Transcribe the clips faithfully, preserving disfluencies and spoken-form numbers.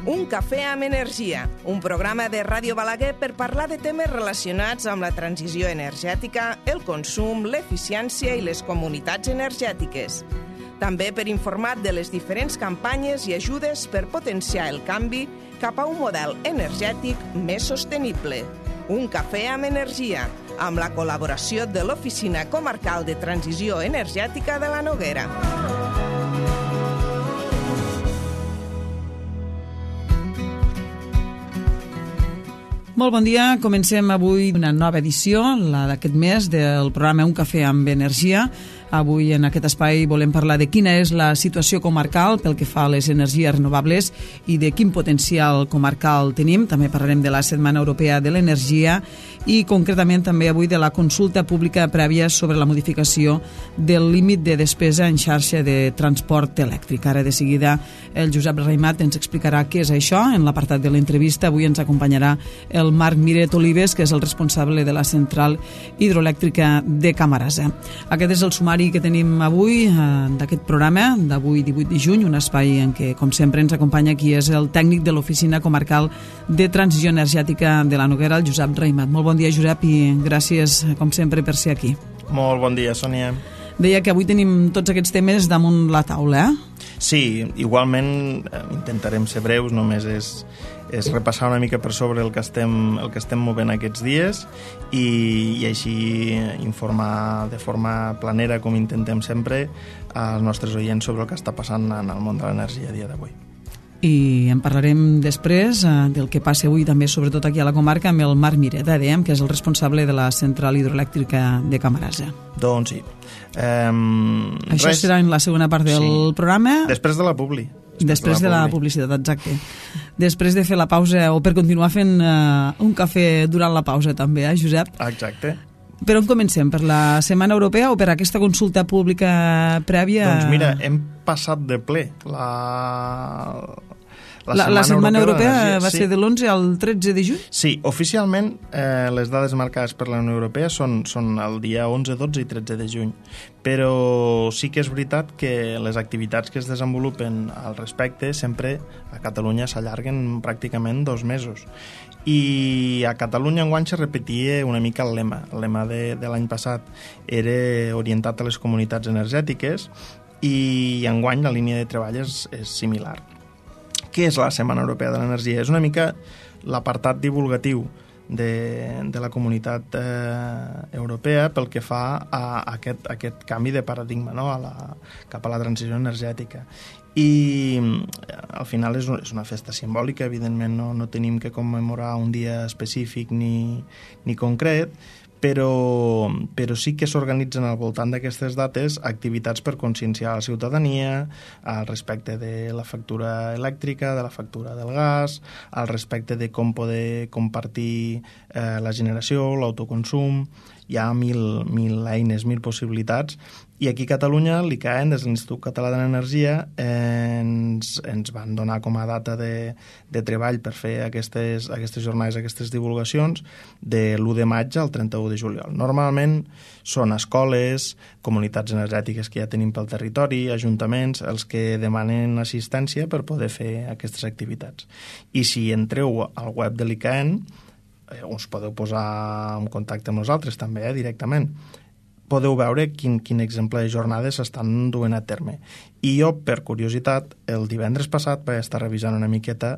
Un cafè amb energia, un programa de Ràdio Balaguer per parlar de temes relacionats amb la transició energètica, el consum, l'eficiència i les comunitats energètiques. També per informar de les diferents campanyes i ajudes per potenciar el canvi cap a un model energètic més sostenible. Un cafè amb energia, amb la col·laboració de l'Oficina Comarcal de Transició Energètica de la Noguera. Molt bon dia, comencem avui una nova edició, la d'aquest mes, del programa Un cafè amb energia. Avui en aquest espai volem parlar de quina és la situació comarcal pel que fa a les energies renovables i de quin potencial comarcal tenim. També parlarem de la Setmana Europea de l'Energia i concretament també avui de la consulta pública prèvia sobre la modificació del límit de despesa en xarxa de transport elèctric. Ara de seguida el Josep Raimat ens explicarà què és això. En l'apartat de l'entrevista avui ens acompanyarà el Marc Miret Olives, que és el responsable de la central hidroelèctrica de Camarasa. Aquest és el sumari que tenim avui eh, d'aquest programa d'avui divuit de juny, un espai en què, com sempre, ens acompanya qui és el tècnic de l'Oficina Comarcal de Transició Energètica de la Noguera, el Josep Raimat. Molt bon dia, Josep, i gràcies, com sempre, per ser aquí. Molt bon dia, Sònia. Deia que avui tenim tots aquests temes damunt la taula, eh? Sí, igualment eh, intentarem ser breus, només és, és repassar una mica per sobre el que estem, el que estem movent aquests dies i, i així informar de forma planera, com intentem sempre, als nostres oients sobre el que està passant en el món de l'energia a dia d'avui. I en parlarem després eh, del que passa avui també, sobretot aquí a la comarca, amb el Marc Miret, eh, dèiem, que és el responsable de la central hidroelèctrica de Camarasa. Doncs sí. Um, Això res. serà en la segona part del sí. programa. Després de la publi. Després, Després de, la, de la publicitat, exacte. Després de fer la pausa, o per continuar fent uh, un cafè durant la pausa també, eh, Josep? Exacte. Per on comencem? Per la Setmana Europea o per aquesta consulta pública prèvia? Doncs mira, hem passat de ple la... La, la, la Setmana Europea, Europea va sí. ser de l'onze al tretze de juny? Sí, oficialment eh, les dades marcades per la Unió Europea són, són el dia onze, dotze i tretze de juny, però sí que és veritat que les activitats que es desenvolupen al respecte sempre a Catalunya s'allarguen pràcticament dos mesos. I a Catalunya enguany se repetia una mica el lema. El lema de, de l'any passat era orientat a les comunitats energètiques i enguany la línia de treball és, és similar. Què és la Setmana Europea de l'Energia? És una mica l'apartat divulgatiu de, de la comunitat eh, europea pel que fa a aquest, a aquest canvi de paradigma, no? a la, cap a la transició energètica. I al final és una festa simbòlica, evidentment no, no tenim que commemorar un dia específic ni, ni concret, però, però sí que s'organitzen al voltant d'aquestes dates activitats per conscienciar la ciutadania al respecte de la factura elèctrica, de la factura del gas, al respecte de com poder compartir eh, la generació, l'autoconsum. Hi ha mil, mil eines, mil possibilitats, i aquí a Catalunya l'I C A E N, des de l'Institut Català de l'Energia, eh, ens, ens van donar com a data de, de treball per fer aquestes, aquestes jornades, aquestes divulgacions, de l'u de maig al trenta-u de juliol. Normalment són escoles, comunitats energètiques que ja tenim pel territori, ajuntaments, els que demanen assistència per poder fer aquestes activitats. I si entreu al web de l'I C A E N, eh, us podeu posar en contacte amb nosaltres també, eh, directament. Podeu veure quin, quin exemple de jornades s'estan duent a terme. I jo, per curiositat, el divendres passat vaig estar revisant una miqueta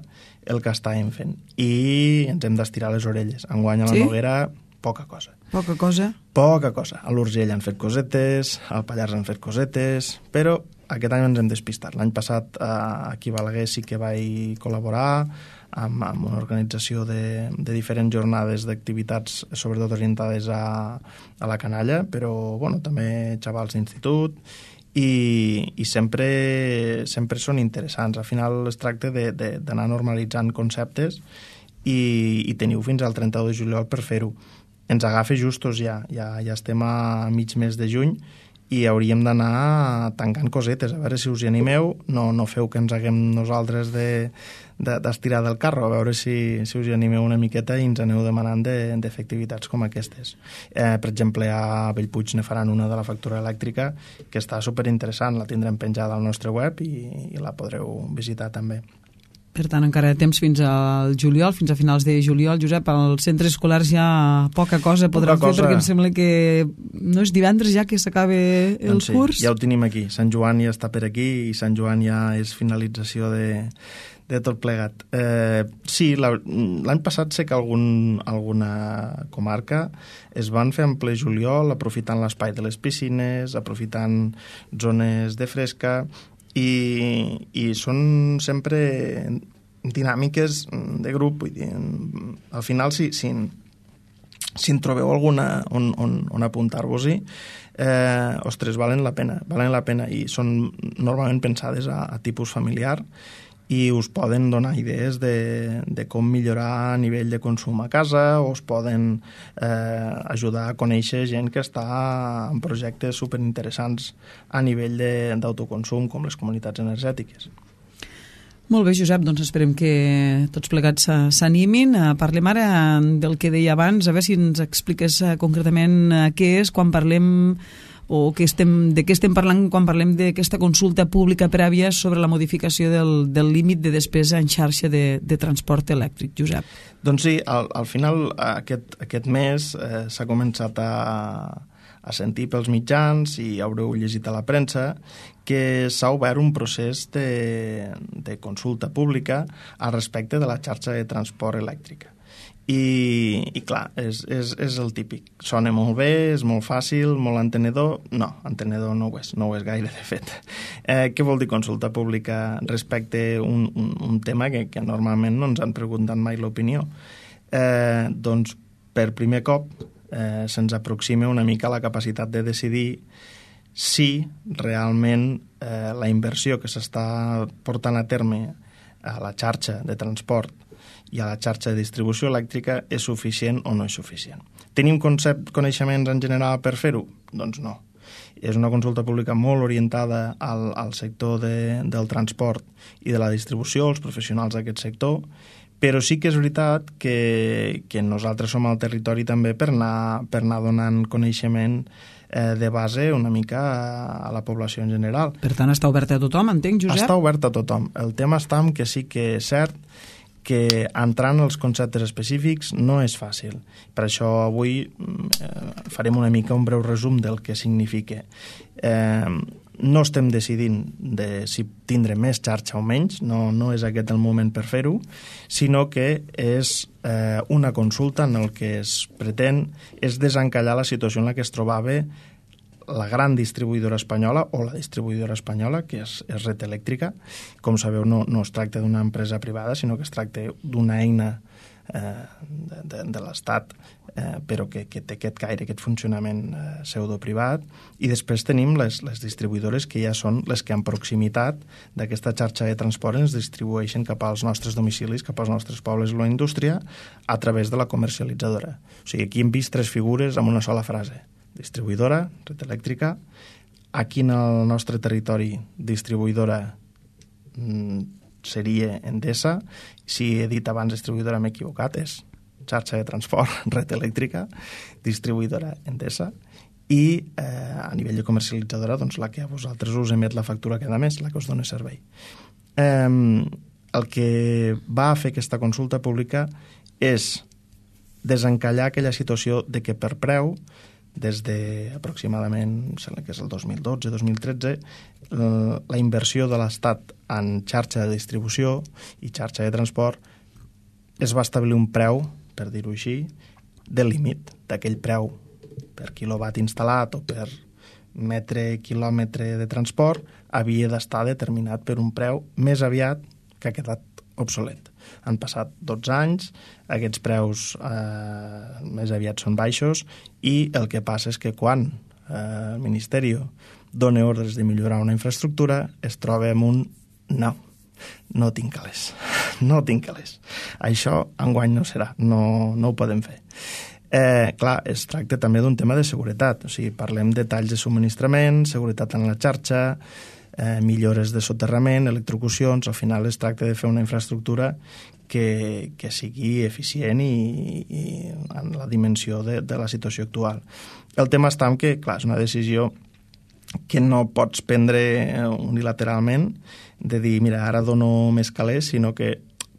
el que estàvem fent. I ens hem d'estirar les orelles. Enguany a la sí? Noguera, poca cosa. Poca cosa? Poca cosa. A l'Urgell han fet cosetes, al Pallars han fet cosetes, però aquest any ens hem despistat. L'any passat aquí a Balaguer sí que vaig col·laborar amb, amb una organització de, de diferents jornades d'activitats, sobretot orientades a, a la canalla, però bueno, també xavals d'institut, i, i sempre, sempre són interessants. Al final es tracta d'anar normalitzant conceptes i, i teniu fins al trenta-u de juliol per fer-ho. Ens agafa justos ja, ja, ja estem a mig mes de juny i hauríem d'anar tancant cosetes, a veure si us hi animeu, no, no feu que ens haguem nosaltres de, de, d'estirar del carro, a veure si, si us hi animeu una miqueta i ens aneu demanant de, de fer activitats com aquestes. Eh, per exemple, a Bellpuig ne faran una de la factura elèctrica que està superinteressant, la tindrem penjada al nostre web i, i la podreu visitar també. Per tant, encara temps fins al juliol, fins a finals de juliol. Josep, als centres escolars ja poca cosa podran poca fer, cosa. perquè em sembla que no és divendres ja que s'acaba el doncs sí, curs. Ja ho tenim aquí. Sant Joan ja està per aquí i Sant Joan ja és finalització de, de tot plegat. Eh, sí, l'any passat sé que algun, alguna comarca es van fer en ple juliol, aprofitant l'espai de les piscines, aprofitant zones de fresca, i, i són sempre dinàmiques de grup. Vull dir, al final, si, si, si en trobeu alguna on, on, on apuntar-vos-hi, eh, ostres, valen la pena, valen la pena, i són normalment pensades a, a tipus familiar, i us poden donar idees de, de com millorar a nivell de consum a casa, o us poden eh, ajudar a conèixer gent que està en projectes superinteressants a nivell d'autoconsum, com les comunitats energètiques. Molt bé, Josep, doncs esperem que tots plegats s'animin. Parlem ara del que deia abans, a veure si ens expliques concretament què és quan parlem o que estem, de què estem parlant quan parlem d'aquesta consulta pública prèvia sobre la modificació del, del límit de despesa en xarxa de, de transport elèctric, Josep. Doncs sí, al, al final aquest, aquest mes eh, s'ha començat a, a sentir pels mitjans, i haureu llegit a la premsa, que s'ha obert un procés de, de consulta pública al respecte de la xarxa de transport elèctrica. I, i clar, és, és, és el típic. Sona molt bé, és molt fàcil, molt entenedor. No, entenedor no ho és, no ho és gaire, de fet. Eh, què vol dir consulta pública respecte a un, un, un tema que, que normalment no ens han preguntat mai l'opinió? Eh, doncs, per primer cop, eh, se'ns aproxima una mica la capacitat de decidir si realment eh, la inversió que s'està portant a terme a la xarxa de transport i a la xarxa de distribució elèctrica és suficient o no és suficient. Tenim concept, coneixements en general per fer-ho? Doncs no. És una consulta pública molt orientada al, al sector de, del transport i de la distribució, els professionals d'aquest sector, però sí que és veritat que, que nosaltres som al territori també per anar, per anar donant coneixement eh, de base una mica a, a la població en general. Per tant, està oberta a tothom, entenc, Josep? Està oberta a tothom. El tema està en que sí que és cert que entrar en els conceptes específics no és fàcil. Per això avui eh, farem una mica un breu resum del que significa. Eh, no estem decidint de si tindre més xarxa o menys, no, no és aquest el moment per fer-ho, sinó que és eh, una consulta en el que es pretén és desencallar la situació en la que es trobava la gran distribuïdora espanyola o la distribuïdora espanyola, que és, és Red Eléctrica. Com sabeu, no, no es tracta d'una empresa privada, sinó que es tracta d'una eina eh, de, de, de l'Estat, eh, però que, que té aquest caire, aquest funcionament eh, pseudo-privat. I després tenim les, les distribuïdores que ja són les que en proximitat d'aquesta xarxa de transport ens distribueixen cap als nostres domicilis, cap als nostres pobles i la indústria, a través de la comercialitzadora. O sigui, aquí hem vist tres figures amb una sola frase. Distribuïdora, Red Eléctrica. Aquí en el nostre territori, distribuïdora mm, seria Endesa. Si he dit abans distribuïdora m'he equivocat, és xarxa de transport, Red Eléctrica, distribuïdora Endesa. I eh, a nivell de comercialitzadora, doncs la que a vosaltres us emet la factura cada mes, la que us dona servei. Eh, el que va fer aquesta consulta pública és desencallar aquella situació de que per preu, des d'aproximadament, sembla que és el dos mil dotze dos mil tretze, la inversió de l'Estat en xarxa de distribució i xarxa de transport es va establir un preu, per dir-ho així, de límit, d'aquell preu per quilowatt instal·lat o per metre quilòmetre de transport havia d'estar determinat per un preu més aviat que ha quedat obsolet. Han passat dotze anys, aquests preus eh, més aviat són baixos, i el que passa és que quan eh, el Ministeri dona ordres de millorar una infraestructura es troba amb un no, no tinc calés, no tinc calés. Això enguany no serà, no, no ho podem fer. Eh, clar, es tracta també d'un tema de seguretat, o sigui, parlem de talls de subministrament, seguretat en la xarxa, Eh, millores de soterrament, electrocucions. Al final es tracta de fer una infraestructura que, que sigui eficient i, i en la dimensió de, de la situació actual. El tema està en que, clar, és una decisió que no pots prendre unilateralment, de dir, mira, ara dono més calés, sinó que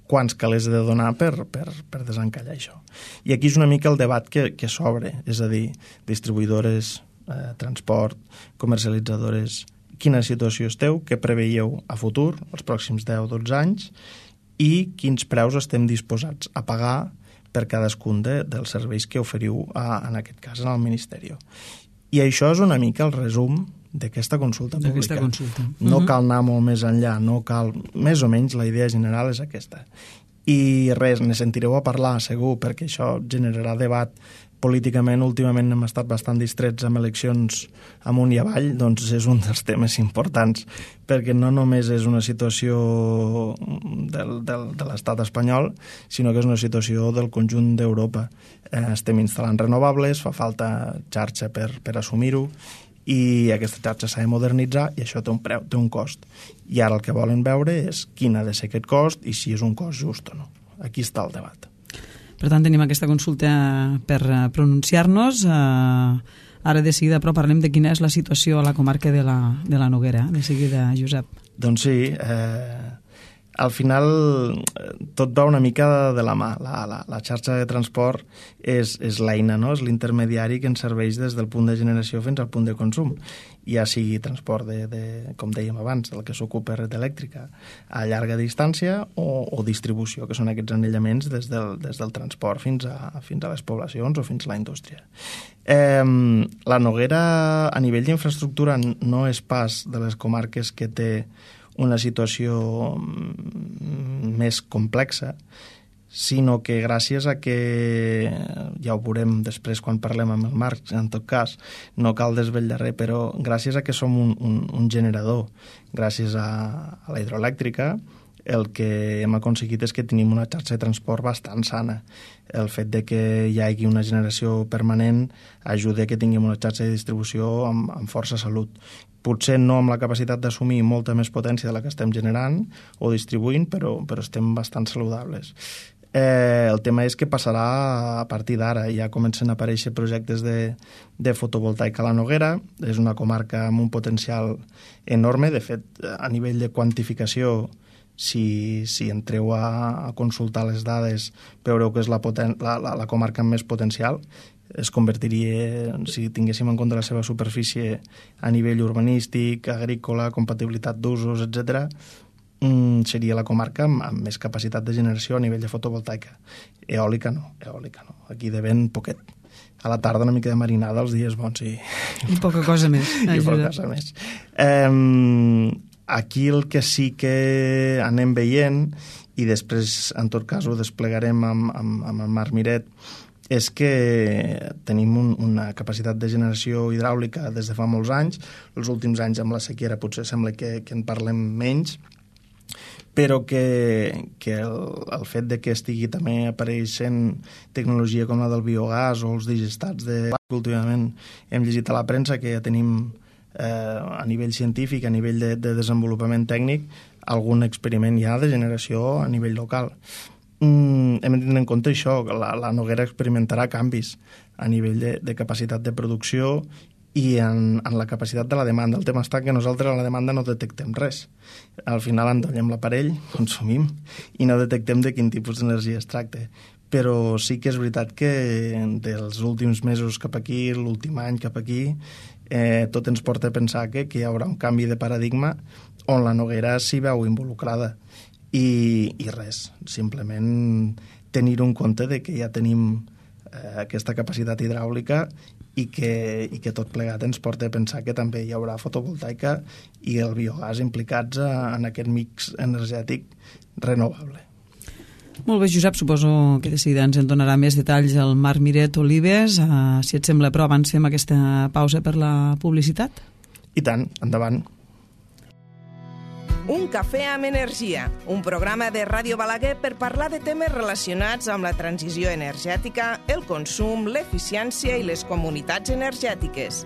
quants calés he de donar per, per, per desencallar això. I aquí és una mica el debat que, que s'obre, és a dir, distribuïdores, eh, transport, comercialitzadores, quina situació esteu, què preveieu a futur, els pròxims deu o dotze anys, i quins preus estem disposats a pagar per cadascun de, dels serveis que oferiu, a, en aquest cas, al Ministeri. I això és una mica el resum d'aquesta consulta pública. Consulta. No uh-huh. cal anar molt més enllà, no cal... Més o menys la idea general és aquesta. I res, ne sentireu a parlar, segur, perquè això generarà debat. Políticament, últimament hem estat bastant distrets amb eleccions amunt i avall, doncs és un dels temes importants, perquè no només és una situació del, del, de l'estat espanyol, sinó que és una situació del conjunt d'Europa. Eh, estem instal·lant renovables, fa falta xarxa per, per assumir-ho, i aquesta xarxa s'ha de modernitzar i això té un preu, té un cost. I ara el que volen veure és quin ha de ser aquest cost i si és un cost just o no. Aquí està el debat. Per tant, tenim aquesta consulta per pronunciar-nos. Ara de seguida, però, parlem de quina és la situació a la comarca de la, de la Noguera. De seguida, Josep. Doncs sí, eh, al final tot va una mica de la mà. La, la, la xarxa de transport és, és l'eina, no? És l'intermediari que ens serveix des del punt de generació fins al punt de consum. Ja sigui transport, de, de, com dèiem abans, del que s'ocupa red elèctrica a llarga distància o, o distribució, que són aquests anellaments des del, des del transport fins a, fins a les poblacions o fins a la indústria. Eh, la Noguera, a nivell d'infraestructura, no és pas de les comarques que té una situació més complexa, sinó que gràcies a que, ja ho veurem després quan parlem amb el Marc, en tot cas, no cal desvetllar res, però gràcies a que som un, un, un generador, gràcies a, a la hidroelèctrica, el que hem aconseguit és que tenim una xarxa de transport bastant sana. El fet de que hi hagi una generació permanent ajuda a que tinguem una xarxa de distribució amb, amb força salut. Potser no amb la capacitat d'assumir molta més potència de la que estem generant o distribuint, però, però estem bastant saludables. Eh, el tema és que passarà a partir d'ara. Ja comencen a aparèixer projectes de, de fotovoltaica a la Noguera. És una comarca amb un potencial enorme. De fet, a nivell de quantificació, si, si entreu a, a consultar les dades, veureu que és la, poten, la, la, la comarca amb més potencial. Es convertiria, si tinguéssim en compte la seva superfície a nivell urbanístic, agrícola, compatibilitat d'usos, etcètera, seria la comarca amb, amb més capacitat de generació a nivell de fotovoltaica. Eòlica no, eòlica no. Aquí de vent poquet. A la tarda una mica de marinada, els dies bons i... I poca cosa més. I poca cosa més. Eh, aquí el que sí que anem veient, i després, en tot cas, ho desplegarem amb, amb, amb el Marc Miret, és que tenim un, una capacitat de generació hidràulica des de fa molts anys. Els últims anys amb la sequera potser sembla que, que en parlem menys, però que, que el, el fet de que estigui també apareixent tecnologia com la del biogàs o els digestats de... Últimament hem llegit a la premsa que ja tenim eh, a nivell científic, a nivell de, de desenvolupament tècnic, algun experiment ja de generació a nivell local. Mm, hem de tenir en compte això, que la, la Noguera experimentarà canvis a nivell de, de capacitat de producció i en, en la capacitat de la demanda. El tema està que nosaltres a la demanda no detectem res. Al final endollem l'aparell, consumim i no detectem de quin tipus d'energia es tracta. Però sí que és veritat que dels últims mesos cap aquí, l'últim any cap aquí, eh, tot ens porta a pensar que, que hi haurà un canvi de paradigma on la Noguera s'hi veu involucrada. I, i res, simplement tenir un compte de que ja tenim eh, aquesta capacitat hidràulica i que, i que tot plegat ens porta a pensar que també hi haurà fotovoltaica i el biogàs implicats a, en aquest mix energètic renovable. Molt bé, Josep, suposo que de seguida ens en donarà més detalls el Marc Miret Olives. Uh, si et sembla, però abans fem aquesta pausa per la publicitat. I tant, endavant. Un cafè amb energia, un programa de Ràdio Balaguer per parlar de temes relacionats amb la transició energètica, el consum, l'eficiència i les comunitats energètiques.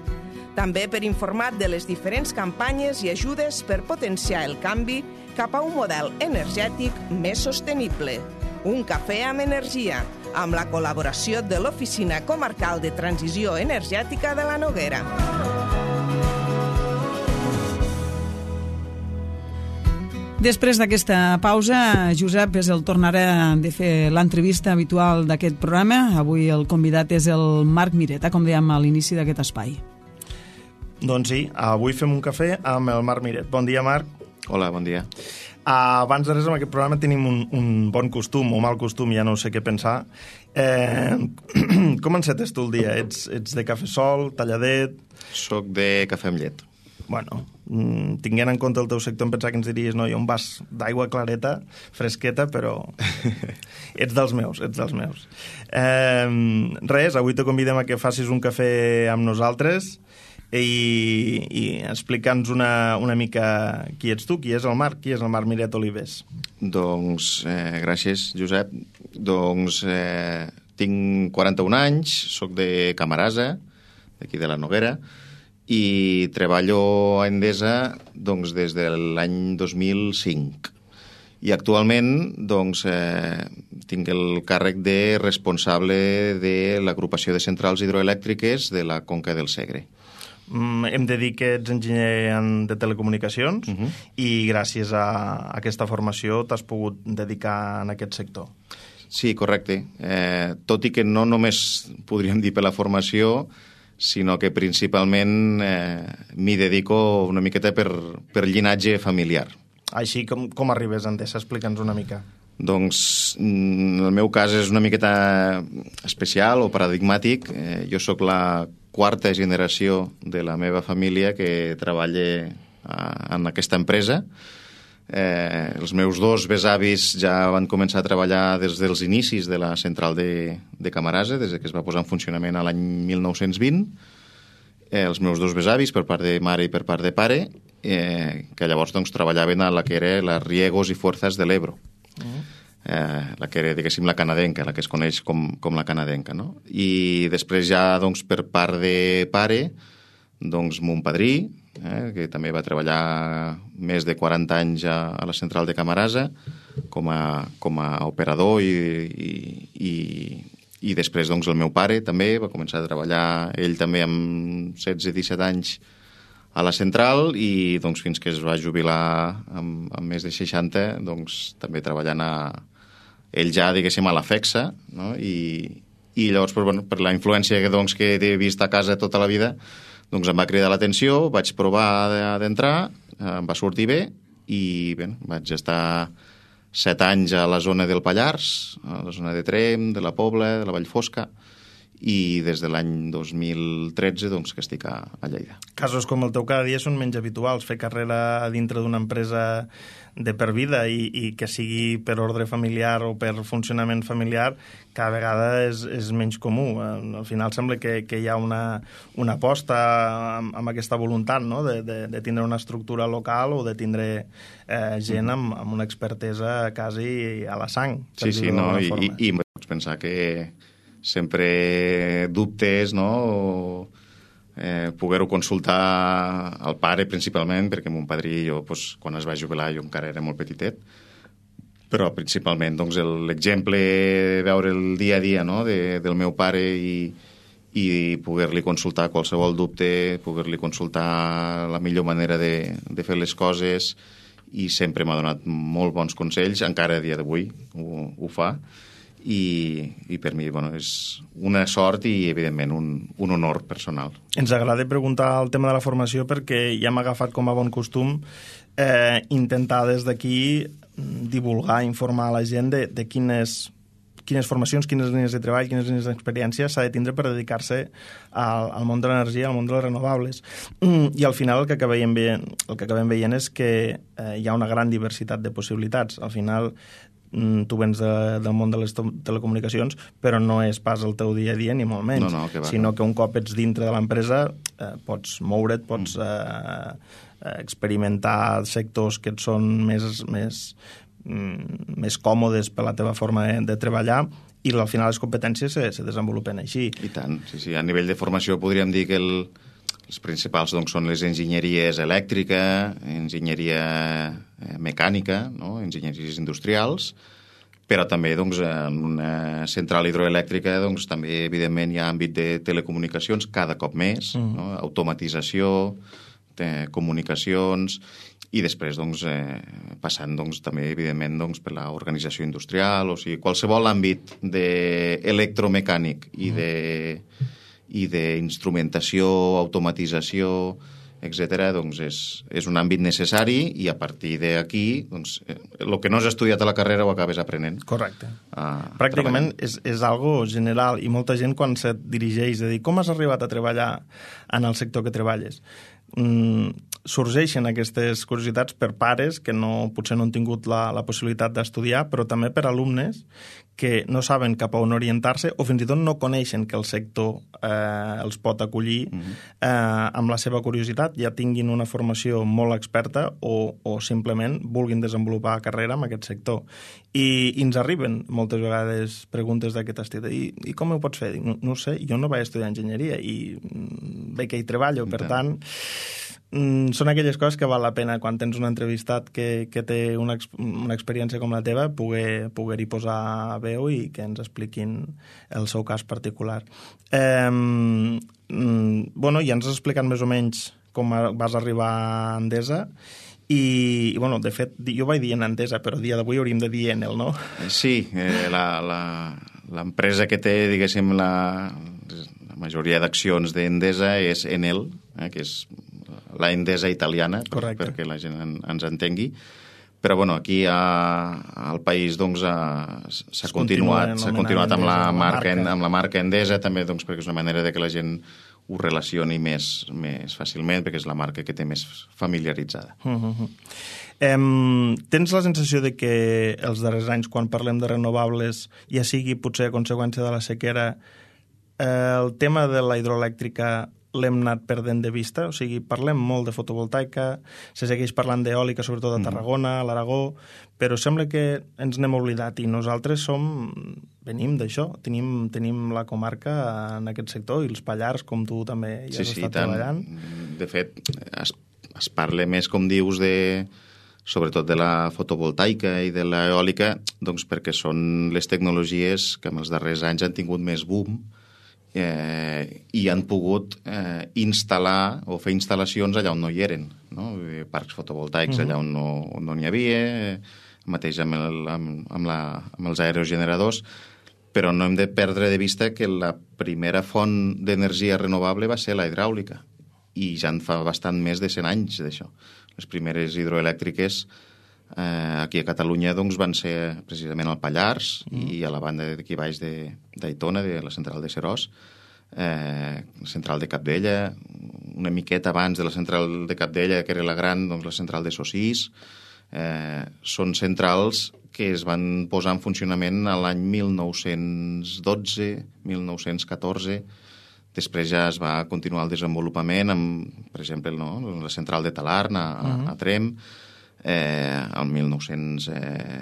També per informar de les diferents campanyes i ajudes per potenciar el canvi cap a un model energètic més sostenible. Un cafè amb energia, amb la col·laboració de l'Oficina Comarcal de Transició Energètica de la Noguera. Després d'aquesta pausa, Josep, és el tornarà de fer l'entrevista habitual d'aquest programa. Avui el convidat és el Marc Mireta, com dèiem a l'inici d'aquest espai. Doncs sí, avui fem un cafè amb el Marc Miret. Bon dia, Marc. Hola, bon dia. Uh, abans de res, en aquest programa tenim un, un bon costum, o mal costum, ja no sé què pensar. Eh, com encetes tu el dia? Ets, ets de cafè sol, talladet? Soc de cafè amb llet. Bueno, tinguent en compte el teu sector, em pensava que ens diries, no, jo un vas d'aigua clareta, fresqueta, però ets dels meus, ets dels meus. Eh, res, avui te convidem a que facis un cafè amb nosaltres i, i explica'ns una, una mica qui ets tu, qui és el Marc, qui és el Marc Miret Olives. Doncs, eh, gràcies, Josep. Doncs eh, tinc quaranta-un anys, soc de Camarasa, d'aquí de la Noguera, i treballo a Endesa doncs, des de l'any dos mil cinc. I actualment doncs, eh, tinc el càrrec de responsable de l'agrupació de centrals hidroelèctriques de la Conca del Segre. Mm, hem de dir que ets enginyer en, de telecomunicacions uh-huh. i gràcies a, a aquesta formació t'has pogut dedicar en aquest sector. Sí, correcte. Eh, tot i que no només podríem dir per la formació, sinó que principalment eh, m'hi dedico una miqueta per, per llinatge familiar. Així, com, com arribes a Endesa? Explica'ns una mica. Doncs el meu cas és una miqueta especial o paradigmàtic. Eh, jo sóc la quarta generació de la meva família que treballa a, en aquesta empresa. Eh, els meus dos besavis ja van començar a treballar des dels inicis de la central de, de Camarasa, des que es va posar en funcionament a l'any mil nou-cents vint. Eh, els meus dos besavis, per part de mare i per part de pare, eh, que llavors doncs, treballaven a la que era la Riegos i Fuerzas de l'Ebro. Uh-huh. eh, la que era, diguéssim, la canadenca, la que es coneix com, com la canadenca, no? I després ja, doncs, per part de pare, doncs, mon padrí, Eh, que també va treballar més de quaranta anys a, a la central de Camarasa com a, com a operador i, i, i, i després doncs, el meu pare també va començar a treballar, ell també amb setze disset anys a la central i doncs, fins que es va jubilar amb, amb més de seixanta doncs, també treballant a, ell ja diguéssim a la FEXA, no? I, i llavors per, bueno, per la influència que, doncs, que he vist a casa tota la vida doncs em va cridar l'atenció, vaig provar d'entrar, em va sortir bé i bé, vaig estar set anys a la zona del Pallars, a la zona de Tremp, de la Pobla, de la Vallfosca, i des de l'any dos mil tretze doncs, que estic a, a Lleida. Casos com el teu cada dia són menys habituals, fer carrera dintre d'una empresa de per vida i, i que sigui per ordre familiar o per funcionament familiar, cada vegada és, és menys comú. Al final sembla que, que hi ha una, una aposta amb, amb aquesta voluntat, no? de, de, de tindre una estructura local o de tindre eh, gent amb, amb una expertesa quasi a la sang. Sí, sí, no? I, i, i pots pensar que sempre dubtes, no? O, eh, poder-ho consultar al pare principalment, perquè mon padrí, jo, doncs, quan es va jubilar, jo encara era molt petitet, però principalment doncs, l'exemple, veure el dia a dia, no? de, del meu pare i, i poder-li consultar qualsevol dubte, poder-li consultar la millor manera de, de fer les coses, i sempre m'ha donat molt bons consells, encara a dia d'avui ho, ho fa. I, i per mi bueno, és una sort i evidentment un, un honor personal. Ens agrada preguntar el tema de la formació perquè ja hem agafat com a bon costum eh, intentar des d'aquí divulgar, informar a la gent de, de quines, quines formacions, quines línies de treball, quines línies d'experiència s'ha de tindre per dedicar-se al, al món de l'energia, al món de les renovables. I al final el que acabem veient, el que acabem veient és que eh, hi ha una gran diversitat de possibilitats. Al final tu vens de, del món de les telecomunicacions, però no és pas el teu dia a dia, ni molt menys, no, no, que va, sinó no. que un cop ets dintre de l'empresa eh, pots moure't, pots eh, experimentar sectors que et són més, més, mm, més còmodes per la teva forma de, de treballar, i al final les competències se, se desenvolupen així. I tant, sí, sí. A nivell de formació podríem dir que el, els principals doncs, són les enginyeries elèctrica, enginyeria mecànica, no? Enginyeries industrials, però també doncs, en una central hidroelèctrica doncs, també evidentment hi ha àmbit de telecomunicacions cada cop més, mm. no? Automatització, comunicacions, i després doncs, eh, passant doncs, també evidentment doncs, per l'organització industrial, o sigui, qualsevol àmbit d'electromecànic i de i d'instrumentació, automatització, etcètera, doncs és, és un àmbit necessari i a partir d'aquí doncs, eh, el que no has estudiat a la carrera ho acabes aprenent. Correcte. Pràcticament és, és algo general i molta gent quan se't dirigeix de dir com has arribat a treballar en el sector que treballes, mm, sorgeixen aquestes curiositats per pares que no, potser no han tingut la, la possibilitat d'estudiar, però també per alumnes que no saben cap a on orientar-se o fins i tot no coneixen que el sector eh, els pot acollir uh-huh. eh, amb la seva curiositat, ja tinguin una formació molt experta o, o simplement vulguin desenvolupar carrera en aquest sector. I, i ens arriben moltes vegades preguntes d'aquest estil. I, i com ho pots fer? No, no ho sé, jo no vaig estudiar enginyeria i bé que hi treballo, per tant... Són aquelles coses que val la pena quan tens un entrevistat que, que té una, una experiència com la teva poder, poder-hi posar veu i que ens expliquin el seu cas particular. Eh, bueno, ja ens has explicat més o menys com vas arribar a Endesa i, i bueno, de fet, jo vaig dir en Endesa, però a dia d'avui hauríem de dir Enel, no? Sí, eh, la, la, l'empresa que té, diguéssim, la, la majoria d'accions d'Endesa és Enel, eh, que és la Endesa italiana, per, perquè la gent en, ens entengui. Però bueno, aquí a, al país doncs, s'ha continuat, s'ha continuat amb la, marca, amb la marca Endesa, també doncs, perquè és una manera de que la gent ho relacioni més, més fàcilment, perquè és la marca que té més familiaritzada. Uh-huh. Um, tens la sensació de que els darrers anys, quan parlem de renovables, ja sigui potser a conseqüència de la sequera, eh, el tema de la hidroelèctrica l'hem anat perdent de vista, o sigui, parlem molt de fotovoltaica, se segueix parlant d'eòlica, sobretot a Tarragona, a l'Aragó, però sembla que ens n'hem oblidat i nosaltres som, venim d'això, tenim, tenim la comarca en aquest sector i els Pallars, com tu també ja sí, has sí, estat tant. treballant. De fet, es, es parla més, com dius, de, sobretot de la fotovoltaica i de l'eòlica, doncs perquè són les tecnologies que en els darrers anys han tingut més boom, Eh, i han pogut eh, instal·lar o fer instal·lacions allà on no hi eren, no? Parcs fotovoltaics uh-huh. allà on no, on no n'hi havia, eh, mateix amb, el, amb, amb, la, amb els aerogeneradors, però no hem de perdre de vista que la primera font d'energia renovable va ser la hidràulica, i ja en fa bastant més de cent anys d'això. Les primeres hidroelèctriques Eh, aquí a Catalunya doncs, van ser precisament al Pallars mm. i a la banda d'aquí baix d'Aitona, de, de la central de Serós, eh, la central de Capdella, una miqueta abans de la central de Capdella, que era la gran, doncs, la central de Sossís. Eh, són centrals que es van posar en funcionament a l'any mil nou-cents dotze, mil nou-cents catorze. Després ja es va continuar el desenvolupament amb, per exemple, no, la central de Talarn a, mm. a Trem, Eh, el mil nou-cents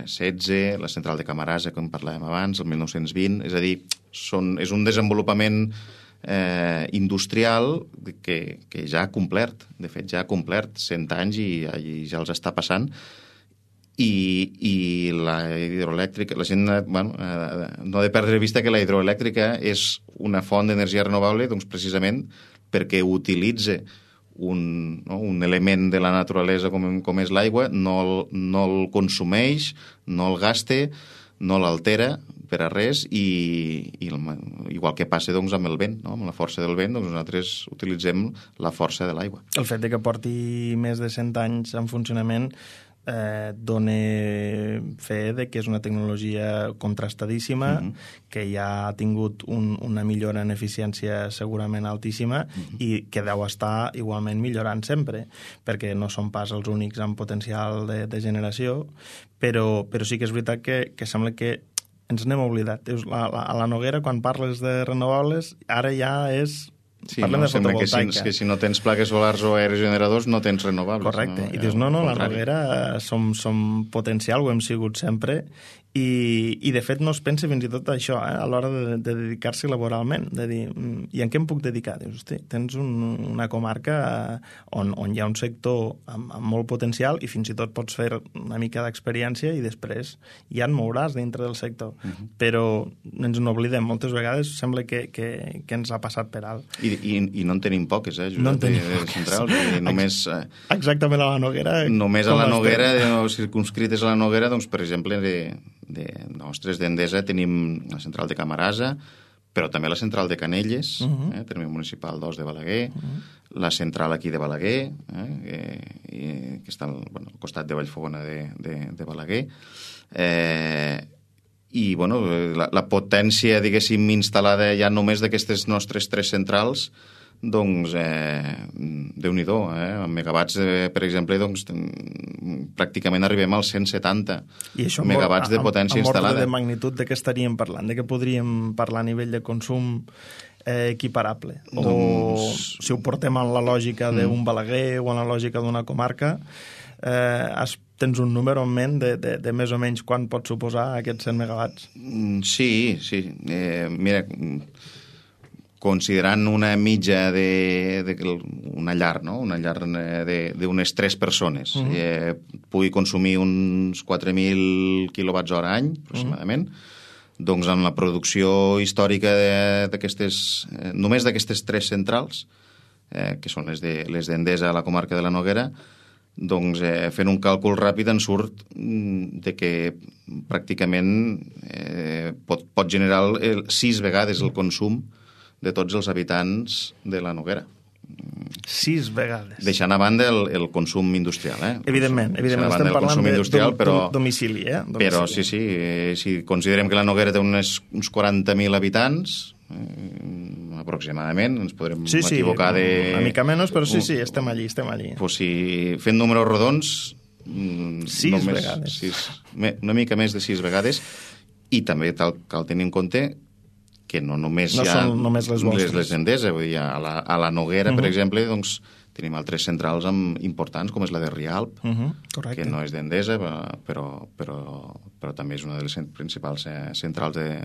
setze, la central de Camarasa, com parlàvem abans, el mil nou-cents vint, és a dir, són, és un desenvolupament eh, industrial que, que ja ha complert, de fet ja ha complert cent anys i, i ja els està passant, i, i la hidroelèctrica, la gent bueno, eh, no ha de perdre de vista que la hidroelèctrica és una font d'energia renovable doncs, precisament perquè utilitza Un, no, un element de la naturalesa com, com és l'aigua, no, el, no el consumeix, no el gaste, no l'altera per a res i, i el, igual que passa doncs, amb el vent, no? Amb la força del vent, doncs nosaltres utilitzem la força de l'aigua. El fet de que porti més de cent anys en funcionament eh, dona fe de que és una tecnologia contrastadíssima, mm-hmm. que ja ha tingut un, una millora en eficiència segurament altíssima mm-hmm. i que deu estar igualment millorant sempre, perquè no són pas els únics amb potencial de, de generació, però, però sí que és veritat que, que sembla que ens n'hem oblidat. A la, a la Noguera, quan parles de renovables, ara ja és... Sí, no, sembla que si, que si no tens plaques solars o aerogeneradors no tens renovables. Correcte, no? I dius, no, no, la Noguera som, som potencial, ho hem sigut sempre, i, i de fet no es pensa fins i tot això, eh, a l'hora de, de dedicar-s'hi laboralment, de dir, i en què em puc dedicar? Dius, hosti, tens un, una comarca on, on hi ha un sector amb, amb molt potencial i fins i tot pots fer una mica d'experiència i després ja et mouràs dintre del sector. Uh-huh. Però ens n'oblidem, moltes vegades sembla que, que, que ens ha passat per alt. I I, i, i no en tenim poques, eh, Josep, no en de, tenim de poques. centrals. I només, eh, Exactament a la Noguera. Només a la estem? Noguera, o circunscrites a la Noguera, doncs, per exemple, de, de nostres d'Endesa tenim la central de Camarasa, però també la central de Canelles, uh -huh. eh, terme municipal dos de Balaguer, uh -huh. la central aquí de Balaguer, eh, que, que està al, bueno, al costat de Vallfogona de, de, de Balaguer, eh, i bueno, la, la potència, diguéssim, instal·lada ja només d'aquestes nostres tres centrals, doncs, eh, Déu-n'hi-do, eh? En megawatts, eh, per exemple, doncs, pràcticament arribem als cent setanta I això megawatts de potència amb, amb instal·lada. Amb ordre de magnitud de què estaríem parlant? De què podríem parlar a nivell de consum eh, equiparable? O Doncs... si ho portem en la lògica d'un Balaguer o en la lògica d'una comarca, eh, has, tens un número en ment de, de, de més o menys quan pot suposar aquests cent megawatts? Sí, sí. Eh, mira, considerant una mitja de, de una llar, no? Una llar d'unes tres persones, uh -huh. eh, pugui consumir uns quatre mil quilowatts hora any, aproximadament, uh -huh. doncs en la producció històrica d'aquestes, eh, només d'aquestes tres centrals, eh, que són les de les d'Endesa a la comarca de la Noguera, doncs eh, fent un càlcul ràpid en surt de que pràcticament eh, pot, pot generar el, sis vegades el consum de tots els habitants de la Noguera. Sis vegades. Deixant a banda el, el consum industrial, eh? Evidentment, evidentment. Estem parlant de industrial, però, domicili, eh? Domicili. Però sí, sí, eh, si considerem que la Noguera té unes, uns quaranta mil habitants, eh, aproximadament, ens podrem sí, sí, equivocar de... una mica menys, però sí, sí, estem allí, estem allí. Pues si fent números rodons... Sis només, vegades. Sis, una mica més de sis vegades, i també cal, cal tenir en compte que no només no hi ha són només les vostres. Les d'Endesa, vull dir, a la, a la Noguera, uh -huh. per exemple, doncs, tenim altres centrals amb, importants, com és la de Rialp, uh -huh. Correcte. que no és d'Endesa, però, però, però també és una de les principals eh, centrals de,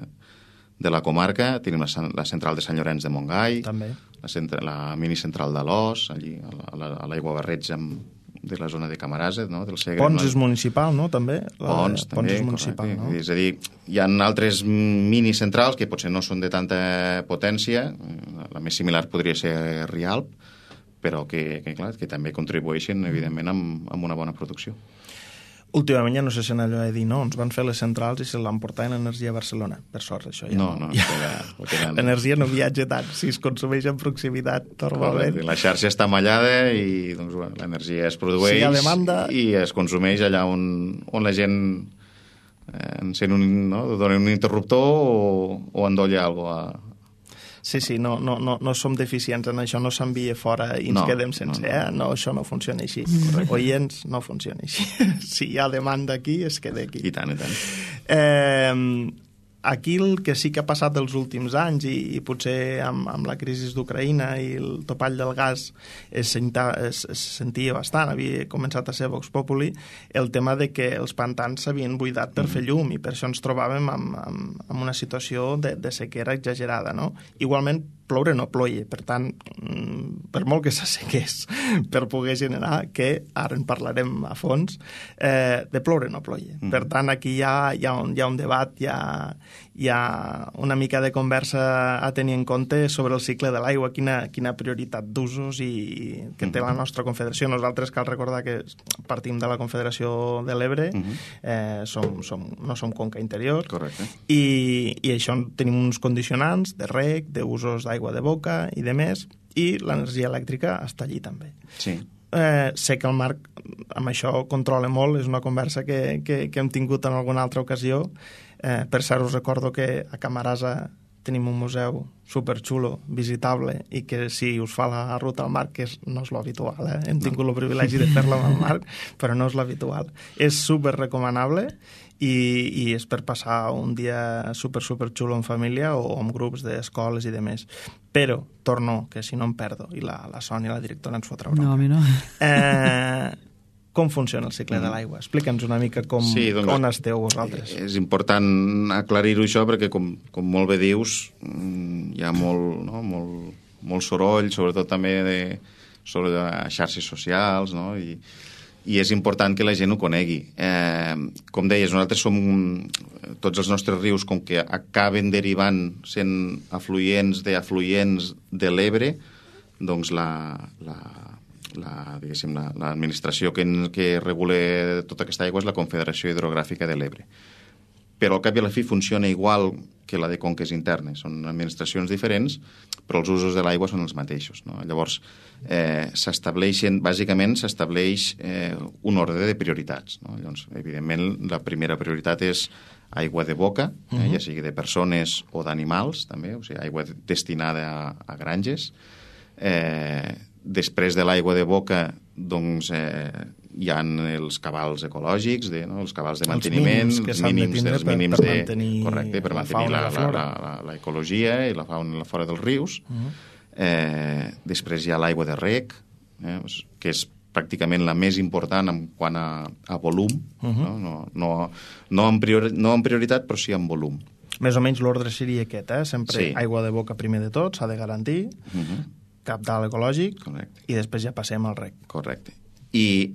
de la comarca. Tenim la, la central de Sant Llorenç de Montgai, també. La, centra, la minicentral d'Alòs, allí a l'aigua Barreig amb de la zona de Camarasa, no? Del Segre. Pons no? és municipal, no? També? La Pons, de... també, Pons és municipal, correcte. No? És a dir, hi ha altres minicentrals que potser no són de tanta potència, la més similar podria ser Rialp, però que, que, clar, que també contribueixen, evidentment, amb, amb una bona producció. Últimament ja no sé si en allò de dir, no, ens van fer les centrals i se l'han portat en l'energia a Barcelona. Per sort, això ja no. No, no, ja... ja, l'energia no viatja tant, si es consumeix en proximitat, normalment. La xarxa està mallada i doncs, bueno, l'energia es produeix si hi ha demanda... i es consumeix allà on, on la gent eh, encén un, no? dona un interruptor o, o endolla alguna cosa a... Sí, sí, no, no, no, no som deficients en això, no s'envia fora i ens no, quedem sense, no, no. eh? No, això no funciona així. Oients, no funciona així. Si hi ha demanda aquí, es queda aquí. I tant, i tant. Eh, aquí el que sí que ha passat els últims anys i, i potser amb, amb la crisi d'Ucraïna i el topall del gas es, senta, es, es sentia bastant, havia començat a ser Vox Populi, el tema de que els pantans s'havien buidat per mm. fer llum i per això ens trobàvem amb, amb, amb una situació de, de sequera exagerada, no? Igualment, ploure no ploia, per tant, per molt que s'assequés per poder generar, que ara en parlarem a fons, eh, de ploure no ploia. Mm. Per tant, aquí hi ha, hi, ha un, hi ha un debat, hi ha, hi ha una mica de conversa a tenir en compte sobre el cicle de l'aigua, quina, quina prioritat d'usos i que té la nostra confederació. Nosaltres cal recordar que partim de la Confederació de l'Ebre, mm -hmm. eh, som, som, no som conca interior. Correcte. I, i això tenim uns condicionants de reg, d'usos d'aigua de boca i de més, i l'energia elèctrica està allí també. Sí. Eh, sé que el Marc amb això controla molt, és una conversa que, que, que hem tingut en alguna altra ocasió. Eh, per cert, us recordo que a Camarasa tenim un museu superxulo, visitable, i que si us fa la ruta al Marc, que és, no és l'habitual, eh? hem tingut el privilegi de fer-la amb el Marc, però no és l'habitual. És super recomanable i, i és per passar un dia super, super xulo en família o amb grups d'escoles i de més. Però, torno, que si no em perdo, i la, la Sònia, la directora, ens fotrà broma. No, a mi no. Eh, com funciona el cicle mm. de l'aigua? Explica'ns una mica com, sí, doncs, on esteu vosaltres. És important aclarir-ho això perquè, com, com molt bé dius, hi ha molt, no, molt, molt soroll, sobretot també de, sobre de xarxes socials, no? I, i és important que la gent ho conegui. Eh, com deies, nosaltres som tots els nostres rius, com que acaben derivant sent afluents d'afluents de l'Ebre, doncs la, la, la, diguéssim, la, l'administració que, que regula tota aquesta aigua és la Confederació Hidrogràfica de l'Ebre. Però al cap i a la fi funciona igual que la de conques internes. Són administracions diferents, però els usos de l'aigua són els mateixos, no? Llavors, eh, s'estableixen, bàsicament s'estableix eh, un ordre de prioritats, no? Llavors, evidentment, la primera prioritat és aigua de boca, eh, uh-huh. ja sigui de persones o d'animals, també, o sigui, aigua destinada a, a granges. Eh, després de l'aigua de boca, doncs, eh, hi ha els cabals ecològics, de, no? els cabals de manteniment, els mínims, els mínims, de els per, mínims per de, mantenir, correcte, per mantenir la, la, la, la, la ecologia i la fauna fora dels rius. Uh-huh. eh, després hi ha l'aigua de reg, eh, que és pràcticament la més important en quant a, a volum, uh-huh. no? No, no, no, en priori, no en prioritat, però sí en volum. Més o menys l'ordre seria aquest, eh? Sempre sí. aigua de boca primer de tot, s'ha de garantir, uh-huh. cabdal ecològic, correcte. I després ja passem al reg. Correcte. I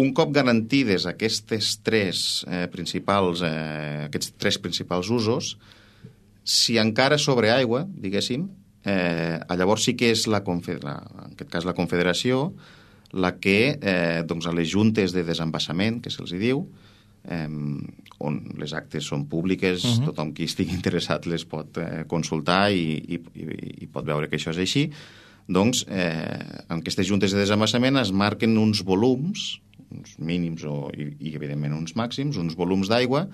un cop garantides aquestes tres eh, principals, eh, aquests tres principals usos, si encara sobre aigua, diguéssim, eh, llavors sí que és la, la, en aquest cas la Confederació, la que, eh, doncs a les juntes de desembassament, que se'ls diu, eh, on les actes són públiques, uh-huh. tothom qui estigui interessat les pot eh, consultar i, i, i pot veure que això és així, doncs eh, en aquestes juntes de desembassament es marquen uns volums, uns mínims o, i, i evidentment uns màxims, uns volums d'aigua,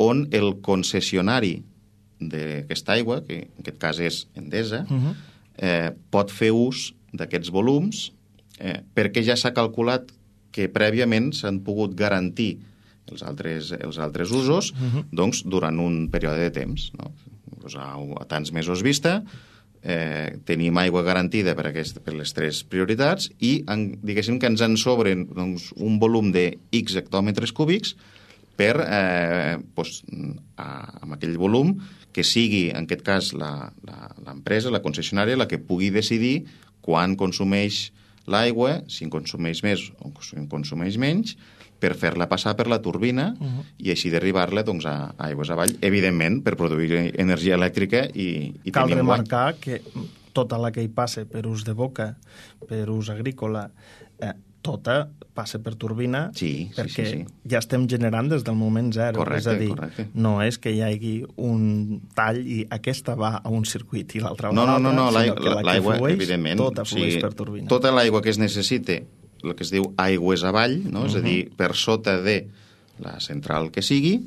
on el concessionari d'aquesta aigua, que en aquest cas és Endesa, uh-huh. eh, pot fer ús d'aquests volums eh, perquè ja s'ha calculat que prèviament s'han pogut garantir els altres, els altres usos uh-huh. doncs, durant un període de temps. No? Doncs a, a tants mesos vista, eh, tenim aigua garantida per, aquest, per les tres prioritats i en, diguéssim que ens en sobren doncs, un volum de X hectòmetres cúbics per, eh, doncs, a, amb aquell volum que sigui, en aquest cas, la, la, l'empresa, la concessionària, la que pugui decidir quan consumeix l'aigua, si en consumeix més o si en consumeix menys, per fer-la passar per la turbina uh-huh. i així derribar-la doncs, a, a aigües avall, evidentment, per produir energia elèctrica i, i cal tenir remarcar guany. Que tota la que hi passe per ús de boca, per ús agrícola, eh, tota passa per turbina sí, perquè sí, sí, sí. ja estem generant des del moment zero. Correcte, és a dir, correcte. No és que hi hagi un tall i aquesta va a un circuit i l'altra va no, a l'altre, no, no, no, sinó que la l'aigua, que flueix, evidentment, tota flueix sí, per turbina. Tota l'aigua que es necessite, el que es diu aigües avall, no? Uh-huh. És a dir, per sota de la central que sigui,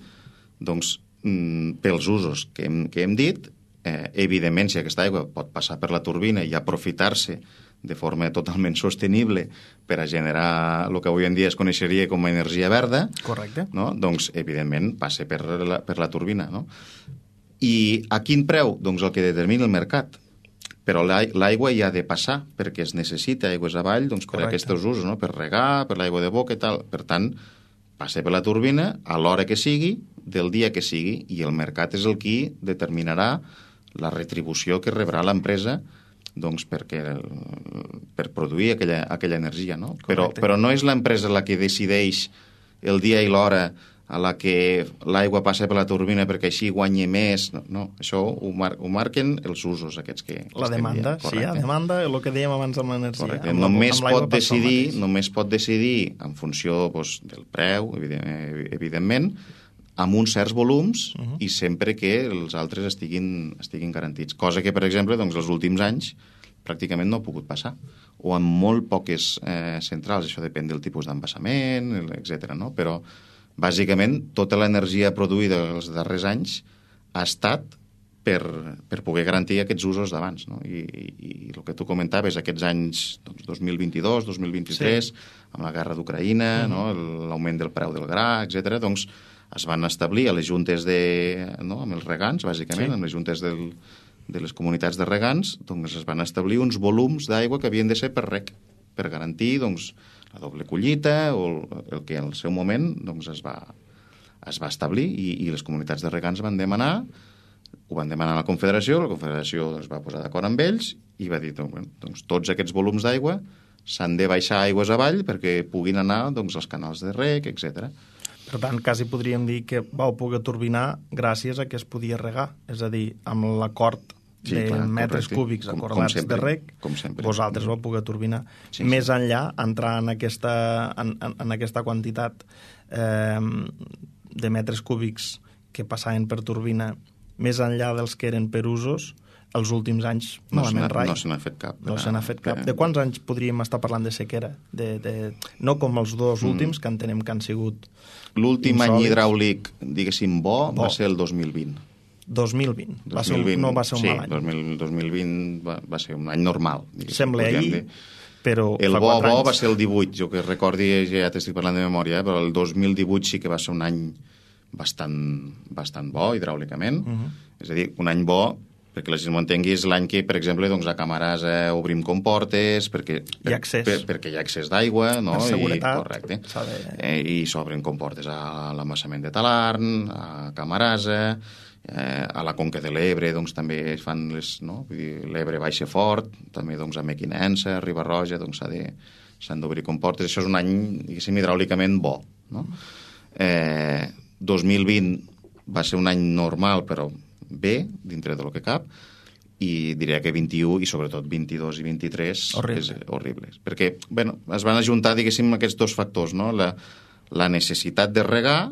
doncs, mm, pels usos que hem, que hem dit, eh, evidentment, si aquesta aigua pot passar per la turbina i aprofitar-se de forma totalment sostenible per a generar el que avui en dia es coneixeria com a energia verda, correcte. No? Doncs, evidentment, passa per la, per la turbina. No? I a quin preu? Doncs el que determina el mercat. Però l'aigua hi ha de passar perquè es necessita aigües avall doncs, per a aquests usos, no? Per regar, per l'aigua de boca i tal. Per tant, passa per la turbina a l'hora que sigui, del dia que sigui, i el mercat és el qui determinarà la retribució que rebrà l'empresa doncs, perquè, per produir aquella, aquella energia. No? Però, però no és l'empresa la que decideix el dia i l'hora a la que l'aigua passa per la turbina perquè així guanyi més. No, no això ho, mar ho marquen els usos aquests que, que la demanda, sí, la demanda, el que dèiem abans amb l'energia. Amb només, amb pot decidir, només pot decidir en funció doncs, del preu, evidentment, evidentment amb uns certs volums uh-huh. i sempre que els altres estiguin, estiguin garantits. Cosa que, per exemple, doncs, els últims anys pràcticament no ha pogut passar. O en molt poques eh, centrals, això depèn del tipus d'embassament, etcètera. No? Però, bàsicament, tota l'energia produïda els darrers anys ha estat per, per poder garantir aquests usos d'abans. No? I, i, I el que tu comentaves, aquests anys doncs, dos mil vint-i-dos, dos mil vint-i-tres, sí. amb la guerra d'Ucraïna, uh-huh. no? l'augment del preu del gra, etcètera, doncs es van establir a les juntes de... No? amb els regants, bàsicament, sí. amb les juntes del, de les comunitats de regants, doncs es van establir uns volums d'aigua que havien de ser per reg, per garantir doncs, la doble collita o el que en el seu moment doncs, es, va, es va establir i, i les comunitats de regants van demanar, ho van demanar a la Confederació, la Confederació es va posar d'acord amb ells i va dir doncs, doncs, tots aquests volums d'aigua s'han de baixar aigües avall perquè puguin anar doncs, als canals de reg, etcètera. Per tant, quasi podríem dir que vau poder turbinar gràcies a que es podia regar, és a dir, amb l'acord sí, de clar, metres correcte. cúbics com, acordats com sempre, de reg, com sempre. vosaltres vau poder turbinar. Sí, Més sí. enllà, entrar en aquesta, en, en, en aquesta quantitat eh, de metres cúbics que passaven per turbina, més enllà dels que eren per usos, els últims anys no malament rai. No se n'ha fet cap. No se n'ha fet cap. Eh, De quants anys podríem estar parlant de sequera? De, de... No com els dos últims, mm. que entenem que han sigut L'últim any insòlits. hidràulic, diguéssim, bo, Bo. va ser el dos mil vint. dos mil vint. Va dos ser mil un, vint, no va ser un sí, mal any. dos mil, dos mil vint va, va ser un any normal. Sembla podríem ahir, dir. però El fa bo, quatre bo anys. va ser el divuit, jo que recordi, ja t'estic parlant de memòria, eh, però el dos mil divuit sí que va ser un any bastant, bastant bo hidràulicament. Uh -huh. És a dir, un any bo, perquè la gent m'ho entengui, és l'any que, per exemple, doncs, a Camarasa obrim comportes, perquè, per, Hi ha accés. per, perquè hi ha accés d'aigua, no? Per seguretat. I, correcte. De... Eh, I s'obren comportes a l'embassament de Talarn, a Camarasa, eh, a la Conca de l'Ebre, doncs, també es fan les... No? Vull dir, l'Ebre baixa fort, també doncs, a Mequinensa, a Riba-roja, doncs s'ha de, s'han d'obrir comportes. Això és un any, diguéssim, hidràulicament bo, no? Eh, dos mil vint va ser un any normal, però bé, dintre de lo que cap, i diria que vint-i-u i sobretot vint-i-dos i vint-i-tres Horrible. és horribles. Perquè, bueno, es van ajuntar, diguéssim, aquests dos factors, no? La, la necessitat de regar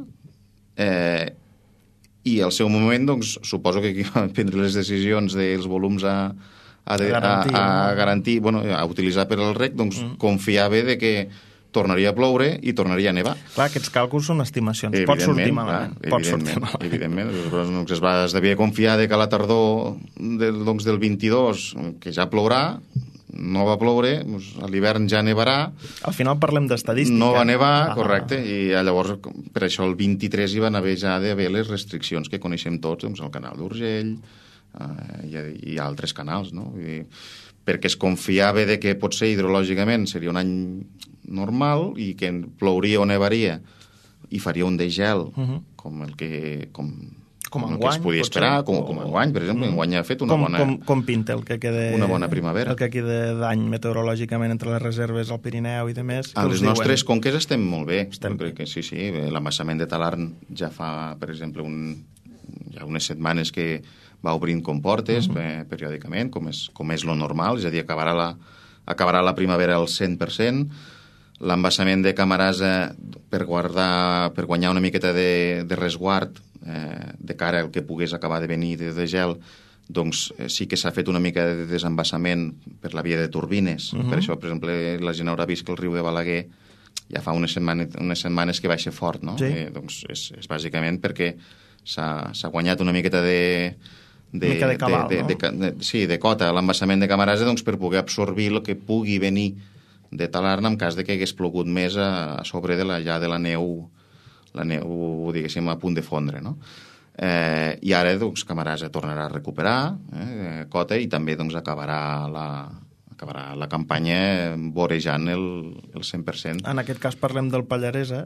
eh, i al seu moment, doncs, suposo que qui va prendre les decisions dels volums a, a, de, a, garantir, a, a no? garantir, bueno, a utilitzar per al reg, doncs Mm. confiava de que tornaria a ploure i tornaria a nevar. Clar, aquests càlculs són estimacions. Pot sortir malament. Clar, Pot sortir evidentment, malament. evidentment. Doncs es, va, es devia confiar de que a la tardor del, doncs, del vint-i-dos, que ja plourà, no va ploure, doncs, a l'hivern ja nevarà, Al final parlem d'estadística. no va nevar, Ah. correcte, i llavors per això el vint-i-tres hi van haver ja d'haver les restriccions que coneixem tots, doncs el canal d'Urgell eh, i, i altres canals, no? Vull dir, perquè es confiava de que potser hidrològicament seria un any normal i que plouria o nevaria i faria un degel Uh -huh. com el que com, Com el que enguany, es podia potser, esperar, com, o- com enguany, per exemple, Mm. enguany ha fet una com, bona... com, com pinta el que queda... una bona primavera. El que queda d'any meteorològicament entre les reserves al Pirineu i demés. A les nostres conques estem molt bé. Estem Jo crec que sí, sí. L'embassament de Talarn ja fa, per exemple, un, ja unes setmanes que va obrint comportes uh -huh. periòdicament, com és, com és lo normal, és a dir, acabarà la, acabarà la primavera al cent per cent. L'embassament de Camarasa, per, guardar, per guanyar una miqueta de, de resguard eh, de cara al que pogués acabar de venir de, de gel, doncs eh, sí que s'ha fet una mica de desembassament per la via de turbines. Uh -huh. Per això, per exemple, la gent haurà vist que el riu de Balaguer ja fa unes setmanes, unes setmanes que baixa fort, no? Sí. Eh, doncs és, és bàsicament perquè s'ha guanyat una miqueta de... De, mica de cabal, de, de, no? de, de, sí, de cota a l'embassament de Camarasa, doncs, per poder absorbir el que pugui venir de Talarn en cas de que hagués plogut més a, a sobre de la, ja de la neu, la neu, diguéssim, a punt de fondre, no? Eh, I ara, doncs, Camarasa tornarà a recuperar eh, cota i també, doncs, acabarà la, acabarà la campanya vorejant el, el cent per cent. En aquest cas parlem del Pallarès, eh?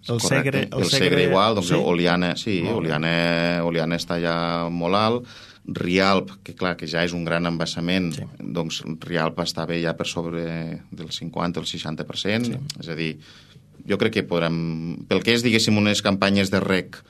El Correcte. Segre, el, el Segre, Segre igual, doncs sí? Oliana, sí, Oliana, Oliana està ja molt alt, Rialp, que clar, que ja és un gran embassament, Sí. doncs Rialp està bé ja per sobre del cinquanta o el seixanta per cent, Sí. és a dir, jo crec que podrem, pel que és, diguéssim, unes campanyes de rec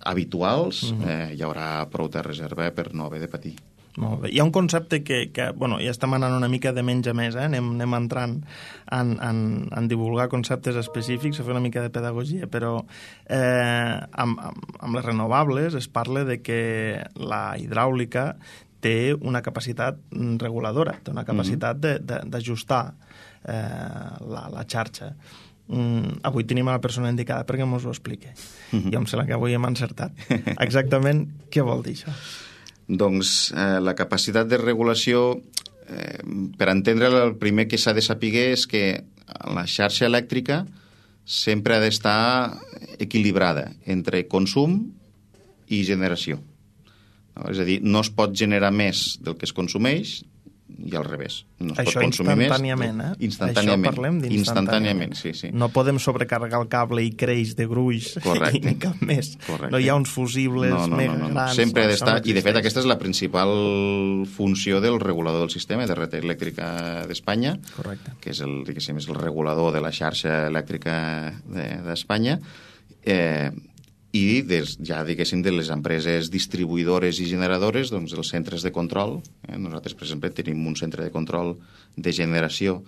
habituals, mm -hmm. eh, hi haurà prou de reserva per no haver de patir. Molt bé. Hi ha un concepte que, que bueno, ja estem anant una mica de menys a més, eh? anem, anem entrant en, en, en divulgar conceptes específics, a fer una mica de pedagogia, però eh, amb, amb, amb les renovables es parla de que la hidràulica té una capacitat reguladora, té una capacitat mm-hmm. d'ajustar eh, la, la xarxa. Mm, avui tenim a la persona indicada perquè mos ho expliqui. Mm-hmm. Jo em sembla que avui hem encertat. Exactament què vol dir això? Doncs eh, la capacitat de regulació, eh, per entendre-la, el primer que s'ha de saber és que la xarxa elèctrica sempre ha d'estar equilibrada entre consum i generació. No? És a dir, no es pot generar més del que es consumeix i al revés. No es Això pot consumir instantàniament, més. eh? Instantàniament. Això parlem d'instantàniament. Instantàniament, sí, sí. No podem sobrecarregar el cable i creix de gruix Correcte. i ni cap més. Correcte. No hi ha uns fusibles no, no, mega no, no, no. grans. Sempre ha no, d'estar, no i de fet existeix. aquesta és la principal funció del regulador del sistema de red elèctrica d'Espanya, Correcte. que és el, diguéssim, és el regulador de la xarxa elèctrica d'Espanya, de, eh, i des, ja, diguéssim, de les empreses distribuïdores i generadores, doncs els centres de control. Eh? Nosaltres, per exemple, tenim un centre de control de generació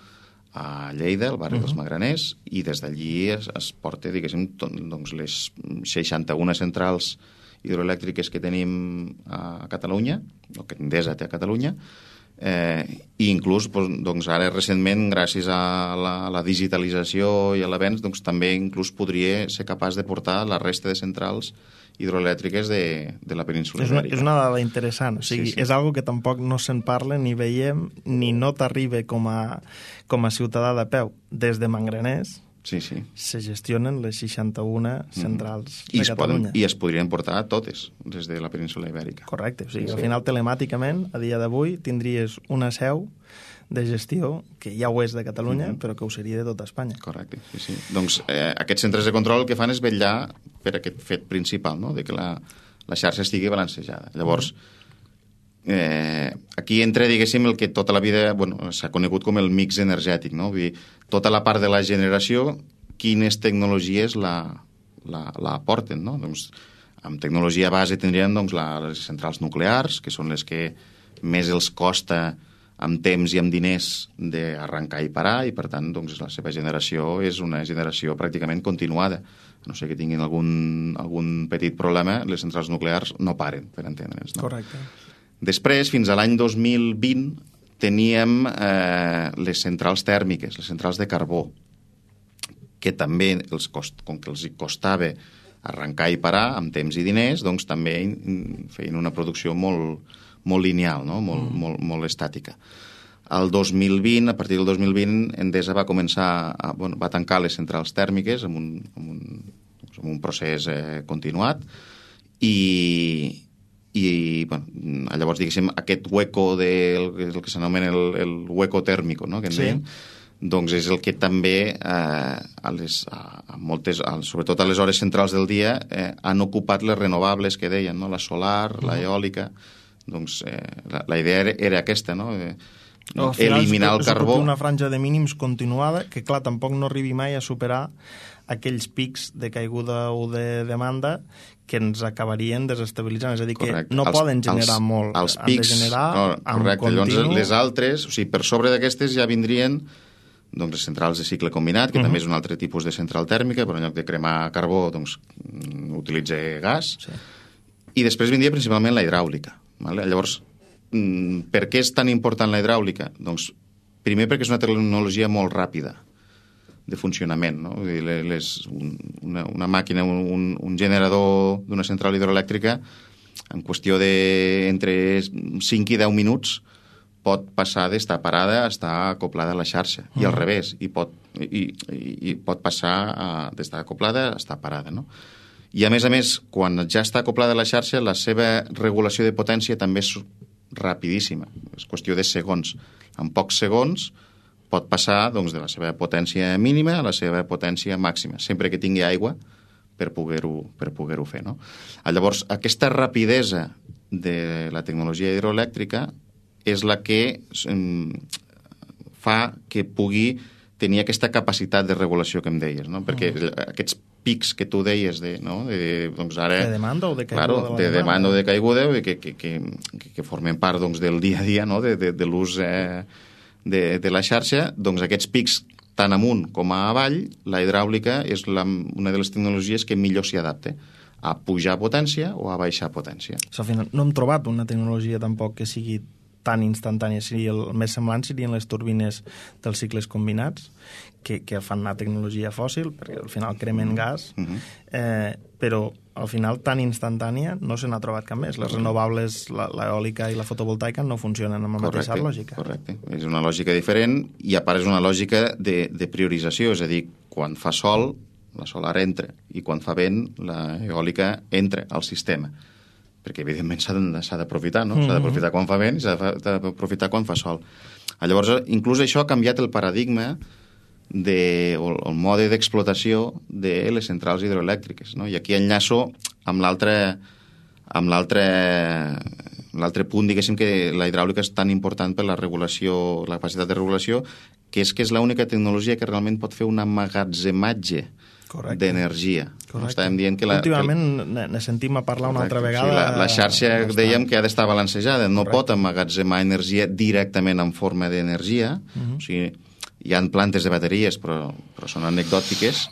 a Lleida, al barri uh -huh. dels Magraners, i des d'allí es, es porta, diguéssim, tot, doncs, les seixanta-una centrals hidroelèctriques que tenim a Catalunya, o que Endesa té a Catalunya, eh, i inclús doncs, ara recentment, gràcies a la, a la digitalització i a l'avenç, doncs, també inclús podria ser capaç de portar la resta de centrals hidroelèctriques de, de la península és una, ibèrica. És una dada interessant, o sigui, sí, sí. és algo que tampoc no se'n parla, ni veiem, ni no t'arriba com a, com a ciutadà de peu. Des de Mangraners sí, sí. se gestionen les seixanta-una centrals mm. I de Catalunya. Poden, I es podrien portar totes des de la península ibèrica. Correcte, o sigui, sí, al sí. final telemàticament, a dia d'avui, tindries una seu de gestió, que ja ho és de Catalunya, mm-hmm. però que ho seria de tota Espanya. Correcte, sí, sí. Doncs eh, aquests centres de control el que fan és vetllar per aquest fet principal, no?, de que la, la xarxa estigui balancejada. Llavors, eh, aquí entra, diguéssim, el que tota la vida bueno, s'ha conegut com el mix energètic, no? Vull dir, tota la part de la generació, quines tecnologies la, la, la aporten, no? Doncs, amb tecnologia base tindríem doncs, la, les centrals nuclears, que són les que més els costa amb temps i amb diners d'arrencar i parar, i per tant doncs, la seva generació és una generació pràcticament continuada. A no sé que tinguin algun, algun petit problema, les centrals nuclears no paren, per entendre'ns. No? Correcte. Després, fins a l'any dos mil vint, teníem eh, les centrals tèrmiques, les centrals de carbó, que també, els cost, com que els costava arrencar i parar amb temps i diners, doncs també feien una producció molt, molt lineal, no? molt, mm. molt, molt estàtica. El dos mil vint, a partir del dos mil vint, Endesa va començar a, bueno, va tancar les centrals tèrmiques amb un, amb un, amb un procés eh, continuat i, i bueno, llavors, diguéssim, aquest hueco del de, el que s'anomena el, el hueco tèrmico, no? que en sí. deien, doncs és el que també eh, a les, a, a moltes, a, sobretot a les hores centrals del dia eh, han ocupat les renovables que deien, no? La solar, mm. la eòlica. Doncs eh, la, la idea era, era aquesta, no? Eh, no eliminar el carbó. Una franja de mínims continuada que, clar, tampoc no arribi mai a superar aquells pics de caiguda o de demanda que ens acabarien desestabilitzant. És a dir, correcte. Que no els, poden generar els, molt. Els pics, han de generar no, amb correcte. continu. Llavors, les altres, o sigui, per sobre d'aquestes ja vindrien doncs, les centrals de cicle combinat, que uh -huh. també és un altre tipus de central tèrmica, però en lloc de cremar carbó, doncs, utilitza gas. Sí. I després vindria principalment la hidràulica. Vale? Llavors, per què és tan important la hidràulica? Doncs, primer perquè és una tecnologia molt ràpida de funcionament, no? Les, una, una màquina, un, un generador d'una central hidroelèctrica, en qüestió de entre cinc i deu minuts, pot passar d'estar parada a estar acoplada a la xarxa, uh-huh. i al revés, i pot, i, i, i pot passar a, d'estar acoplada a estar parada, no? I, a més a més, quan ja està acoplada a la xarxa, la seva regulació de potència també és rapidíssima. És qüestió de segons. En pocs segons pot passar doncs, de la seva potència mínima a la seva potència màxima, sempre que tingui aigua per poder-ho per poder-ho fer. No? Llavors, aquesta rapidesa de la tecnologia hidroelèctrica és la que eh, fa que pugui tenir aquesta capacitat de regulació que em deies, no? Perquè mm. aquests pics que tu deies de, no? de, doncs ara, de demanda o de caiguda, claro, de, de demanda o de caiguda que, que, que, que formen part doncs, del dia a dia, no? de, de, de l'ús eh, de, de la xarxa, doncs aquests pics tant amunt com a avall, la hidràulica és la, una de les tecnologies que millor s'hi adapta a pujar potència o a baixar potència. Al final no hem trobat una tecnologia tampoc que sigui tan instantània. Seria el més semblant serien les turbines dels cicles combinats, que, que fan una tecnologia fòssil, perquè al final cremen gas, uh-huh. eh, però al final tan instantània no se n'ha trobat cap més. Les renovables, l'eòlica i la fotovoltaica no funcionen amb la correcte, mateixa lògica. Correcte, és una lògica diferent i a part és una lògica de, de priorització, és a dir, quan fa sol, la solar entra, i quan fa vent, la eòlica entra al sistema. Perquè, evidentment, s'ha d'aprofitar, no? Mm-hmm. S'ha d'aprofitar quan fa vent i s'ha d'aprofitar quan fa sol. Llavors, inclús això ha canviat el paradigma de, o el mode d'explotació de les centrals hidroelèctriques, no? I aquí enllaço amb l'altre amb l'altre l'altre punt, diguéssim, que la hidràulica és tan important per la regulació, la capacitat de regulació, que és que és l'única tecnologia que realment pot fer un emmagatzematge d'energia. No estàvem dient que la, últimament que... ne sentim a parlar una altra vegada. O sigui, la, la xarxa bastant... dèiem que ha d'estar balancejada, no correcte. Pot emmagatzemar energia directament en forma d'energia, uh -huh. o sigui, hi ha plantes de bateries, però, però són anecdòtiques,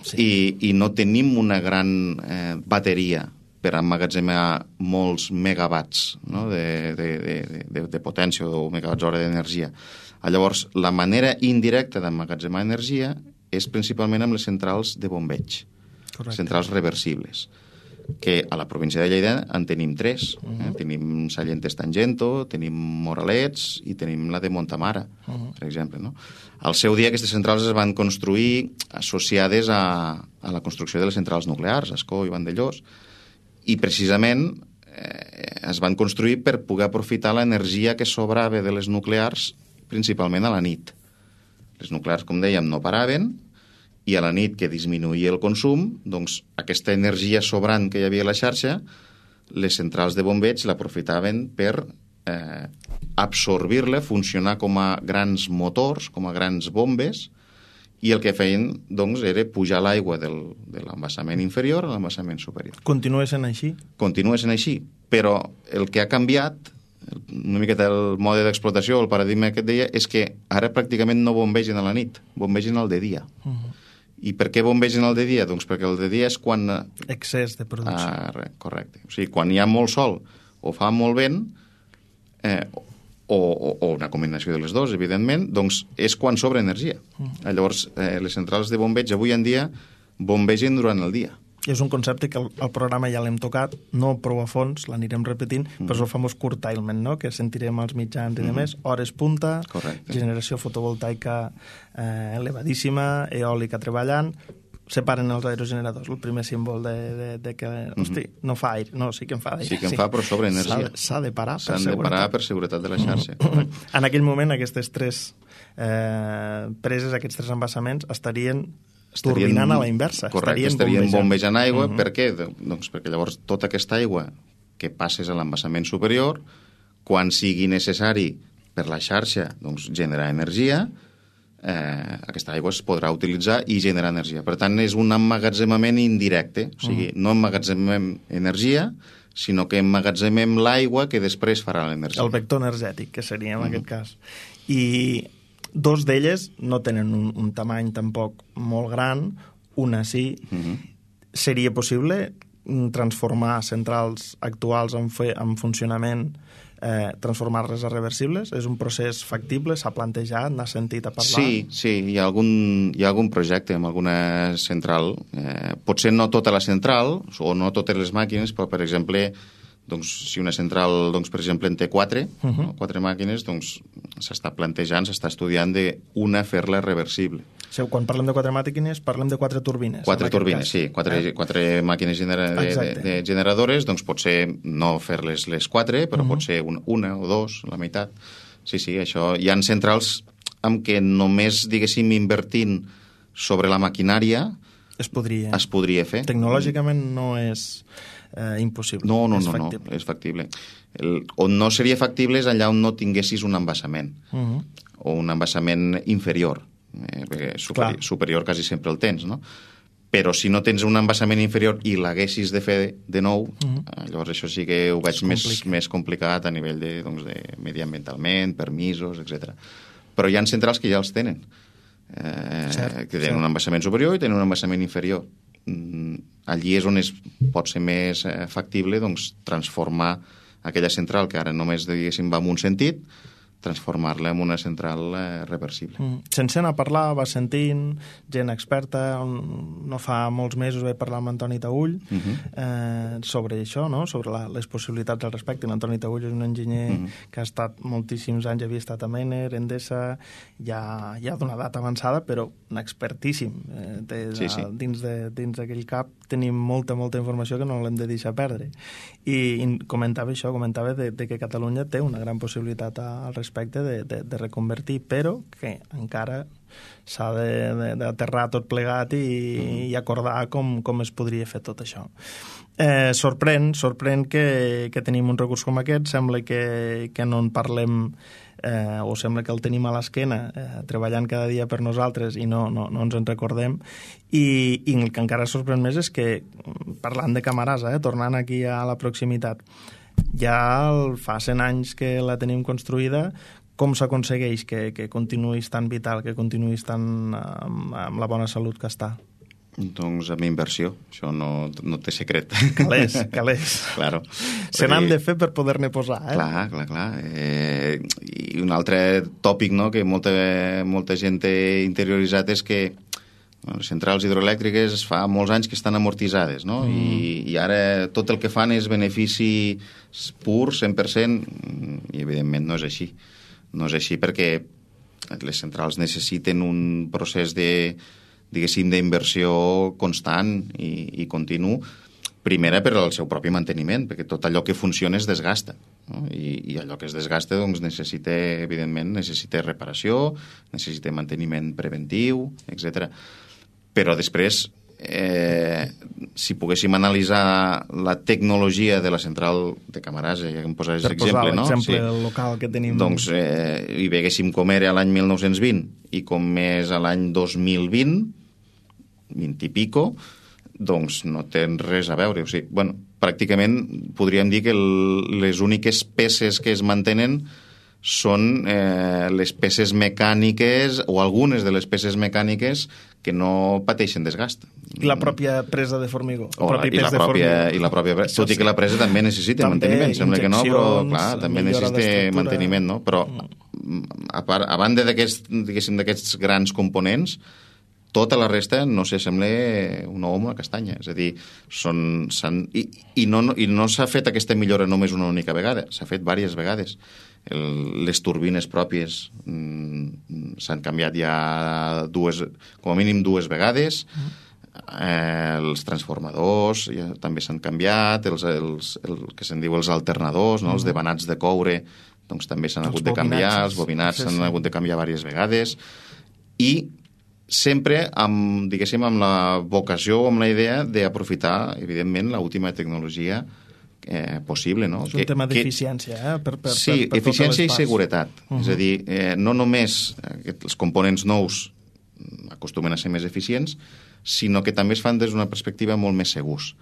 sí. i, i no tenim una gran eh, bateria per emmagatzemar molts megawatts, no? de, de, de, de, de potència o megawatts hora d'energia. Llavors, la manera indirecta d'emmagatzemar energia és principalment amb les centrals de bombeig, correcte. Centrals reversibles, que a la província de Lleida en tenim tres. Uh -huh. eh? Tenim Sallentes Tangento, tenim Moralets i tenim la de Montamara, uh -huh. per exemple. No? Al seu dia aquestes centrals es van construir associades a, a la construcció de les centrals nuclears, Ascó i Vandellós, i precisament eh, es van construir per poder aprofitar l'energia que sobrava de les nuclears principalment a la nit. Les nuclears, com dèiem, no paraven, i a la nit que disminuïa el consum, doncs aquesta energia sobrant que hi havia a la xarxa, les centrals de bombeig l'aprofitaven per eh, absorbir-la, funcionar com a grans motors, com a grans bombes, i el que feien doncs, era pujar l'aigua de l'embassament inferior a l'embassament superior. Continua sent així? Continua sent així, però el que ha canviat, una miqueta el mode d'explotació, el paradigma que et deia, és que ara pràcticament no bombegen a la nit, bombegen al de dia. Uh -huh. I per què bombegen el de dia? Doncs perquè el de dia és quan... Excés de producció. Ah, correcte. O sigui, quan hi ha molt sol o fa molt vent, eh, o, o, o una combinació de les dues, evidentment, doncs és quan sobra energia. Mm. Llavors, eh, les centrals de bombeig avui en dia bombegen durant el dia. És un concepte que el, el programa ja l'hem tocat, no prou a fons, l'anirem repetint, mm. però és el famós curtailment, no?, que sentirem als mitjans i mm. demés, hores punta, correcte. Generació fotovoltaica eh, elevadíssima, eòlica treballant, separen els aerogeneradors, el primer símbol de, de, de que, mm-hmm. hosti, no fa aire, no, sí que en fa aire. Sí que en sí. fa, però sobre energia. S'ha de parar per seguretat. S'han de parar per seguretat de la xarxa. Mm. En aquell moment, aquestes tres eh, preses, aquests tres embassaments, estarien turbinant a la inversa. Correcte, estarien, estarien bombejant aigua. Uh-huh. Per què? Doncs perquè llavors tota aquesta aigua que passes a l'embassament superior, quan sigui necessari per la xarxa doncs, generar energia, eh, aquesta aigua es podrà utilitzar i generar energia. Per tant, és un emmagatzemament indirecte. O sigui, uh-huh. no emmagatzemem energia, sinó que emmagatzemem l'aigua que després farà l'energia. El vector energètic, que seria en uh-huh. aquest cas. I dos d'elles no tenen un, un tamany tampoc molt gran, una sí. Uh-huh. Seria possible transformar centrals actuals en, fe, en funcionament, eh, transformar-les a reversibles? És un procés factible? S'ha plantejat? N'ha sentit a parlar? Sí, sí, hi ha algun, hi ha algun projecte amb alguna central. Eh, potser no tota la central, o no totes les màquines, però, per exemple, doncs, si una central, doncs, per exemple, en té quatre, uh-huh. no? quatre màquines, doncs s'està plantejant, s'està estudiant d'una fer-la reversible. O sigui, quan parlem de quatre màquines, parlem de quatre turbines. Quatre turbines, sí. Quatre, eh? quatre màquines genera de, de, de generadores, doncs potser no fer-les les quatre, però uh-huh. pot ser una, una o dos, la meitat. Sí, sí, això. Hi ha centrals amb què només, diguéssim, invertint sobre la maquinària es podria, es podria fer. Tecnològicament no és... Eh, impossible. No, no, és no, factible. no, és factible. El, on no seria factible és allà on no tinguessis un embassament, uh-huh. o un embassament inferior, eh, perquè superi- superior quasi sempre el tens, no? Però si no tens un embassament inferior i l'haguessis de fer de nou, uh-huh. eh, llavors això sí que ho veig més, més complicat a nivell de, doncs, de mediambientalment, permisos, etcètera. Però hi ha centrals que ja els tenen, eh, cert, que tenen cert. un embassament superior i tenen un embassament inferior. Allí és on es pot ser més eh, factible doncs, transformar aquella central que ara només, diguéssim, va en un sentit, transformar-la en una central eh, reversible. Mm. Sense anar a parlar, va sentint, gent experta, no fa molts mesos vaig parlar amb Antoni Taüll uh-huh. eh, sobre això, no? Sobre la, les possibilitats al respecte. L'Antoni Taüll és un enginyer uh-huh. que ha estat moltíssims anys, havia estat a Mener, Endesa, ja, ja d'una edat avançada, però un expertíssim. Eh, de, sí, sí. Dins, de, dins d'aquell cap tenim molta, molta informació que no l'hem de deixar perdre. I, i comentava això, comentava de, de que Catalunya té una gran possibilitat al respecte aspecte de, de, de reconvertir, però que encara s'ha d'aterrar tot plegat i, mm. i acordar com, com es podria fer tot això. Eh, sorprèn, sorprèn que, que tenim un recurs com aquest, sembla que, que no en parlem eh, o sembla que el tenim a l'esquena eh, treballant cada dia per nosaltres i no, no, no ens en recordem, i, i el que encara sorprèn més és que, parlant de Camarasa, eh, tornant aquí a la proximitat, ja fa cent anys que la tenim construïda, com s'aconsegueix que, que continuï tan vital, que continuï tan amb, amb la bona salut que està? Doncs amb inversió, això no, no té secret. Calés, calés. Claro. Se n'han de fer per poder-ne posar, eh? Clar, clar, clar. Eh, I un altre tòpic, no?, que molta, molta gent té interioritzat és que bueno, les centrals hidroelèctriques fa molts anys que estan amortitzades, no? Mm. I, I ara tot el que fan és benefici pur, cent per cent, i evidentment no és així. No és així perquè les centrals necessiten un procés de, diguéssim, d'inversió constant i, i continu, primera per al seu propi manteniment, perquè tot allò que funciona es desgasta, no? I, i allò que es desgasta doncs, necessita, evidentment, necessita reparació, necessita manteniment preventiu, etcètera. Però després, eh, si poguéssim analitzar la tecnologia de la central de Camarasa, ja que em posaves l'exemple, no? Per posar l'exemple sí. local que tenim. Doncs eh, hi veguéssim com era l'any mil nou-cents vint i com és l'any dos mil vint, vint i pico, doncs no tenen res a veure. O sigui, bueno, pràcticament podríem dir que el, les úniques peces que es mantenen són eh, les peces mecàniques o algunes de les peces mecàniques que no pateixen desgast. I la pròpia presa de formigó. O la, i, la pròpia, I la pròpia presa. Tot i que la presa també necessita també manteniment. Sembla que no, però clar, també necessita manteniment, no? Però a, part, a banda d'aquests, diguéssim, d'aquests grans components, tota la resta no s'assembla un ou amb una castanya. És a dir, són, i, i no, i no s'ha fet aquesta millora només una única vegada, s'ha fet diverses vegades. El, les turbines pròpies mm, s'han canviat ja dues, com a mínim dues vegades, eh, els transformadors ja també s'han canviat, els, els, el que se'n diu els alternadors, no? Els devanats de coure, doncs també s'han hagut de canviar, els bobinats s'han hagut de canviar diverses vegades, i sempre amb, diguéssim, amb la vocació o amb la idea d'aprofitar, evidentment, l'última tecnologia eh, possible, no? És un que, tema d'eficiència, eh? Per, per, sí, per, per eficiència i seguretat. Uh -huh. És a dir, eh, no només eh, els components nous acostumen a ser més eficients, sinó que també es fan des d'una perspectiva molt més segurs.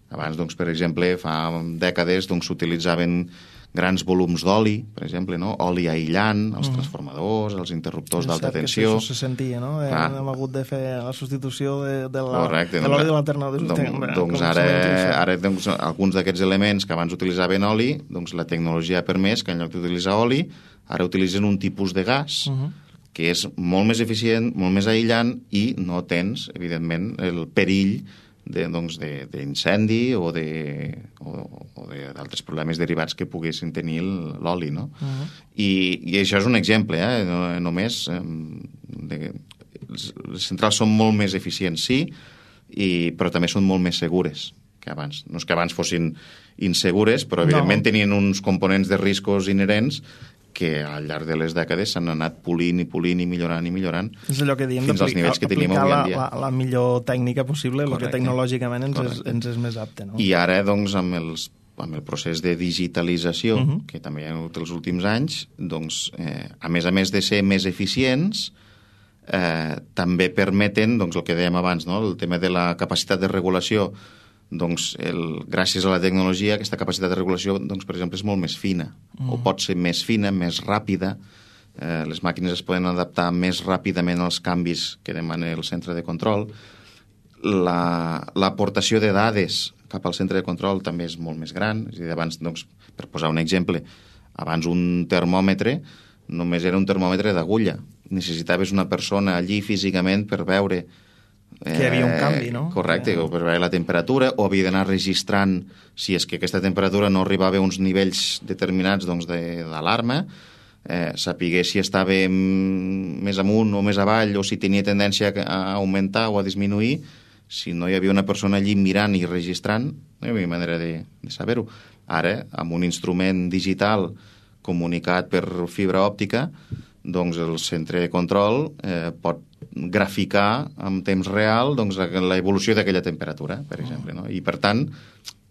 Abans, doncs, per exemple, fa dècades doncs, s'utilitzaven grans volums d'oli, per exemple, no? Oli aïllant, els uh -huh. transformadors, els interruptors d'alta tensió. Això se sentia, no? Ah. Hem hagut de fer la substitució de, de l'oli Correcte, de doncs, l'alternador. Doncs, doncs ara, ara doncs, alguns d'aquests elements que abans utilitzaven oli, doncs la tecnologia ha permès que en lloc d'utilitzar oli, ara utilitzen un tipus de gas uh -huh. que és molt més eficient, molt més aïllant i no tens, evidentment, el perill de, doncs, d'incendi o de, o, o d'altres problemes derivats que poguessin tenir l'oli, no? Uh -huh. I, I això és un exemple, eh? No, només eh, de, les centrals són molt més eficients, sí, i, però també són molt més segures que abans. No és que abans fossin insegures, però evidentment no. tenien uns components de riscos inherents que al llarg de les dècades s'han anat polint i polint i millorant i millorant és allò que diem, fins als nivells que tenim avui en dia. La, la, la millor tècnica possible, el que tecnològicament ens és, ens és més apte. No? I ara, doncs, amb, els, amb el procés de digitalització, uh -huh. que també hi ha hagut els últims anys, doncs, eh, a més a més de ser més eficients, eh, també permeten, doncs, el que dèiem abans, no? El tema de la capacitat de regulació, doncs, el, gràcies a la tecnologia, aquesta capacitat de regulació, doncs, per exemple, és molt més fina, mm. o pot ser més fina, més ràpida. Eh, les màquines es poden adaptar més ràpidament als canvis que demana el centre de control. L'aportació la, de dades cap al centre de control també és molt més gran. És a dir, abans, doncs, per posar un exemple, abans un termòmetre només era un termòmetre d'agulla. Necessitaves una persona allí físicament per veure que hi havia un canvi, no? Correcte, o per veure la temperatura, o havia d'anar registrant si és que aquesta temperatura no arribava a uns nivells determinats doncs, d'alarma, eh, sapiguer si estava més amunt o més avall, o si tenia tendència a augmentar o a disminuir. Si no hi havia una persona allí mirant i registrant, no hi havia manera de, de saber-ho. Ara, amb un instrument digital comunicat per fibra òptica, doncs el centre de control eh, pot graficar en temps real doncs, l'evolució d'aquella temperatura, per exemple. No? I, per tant,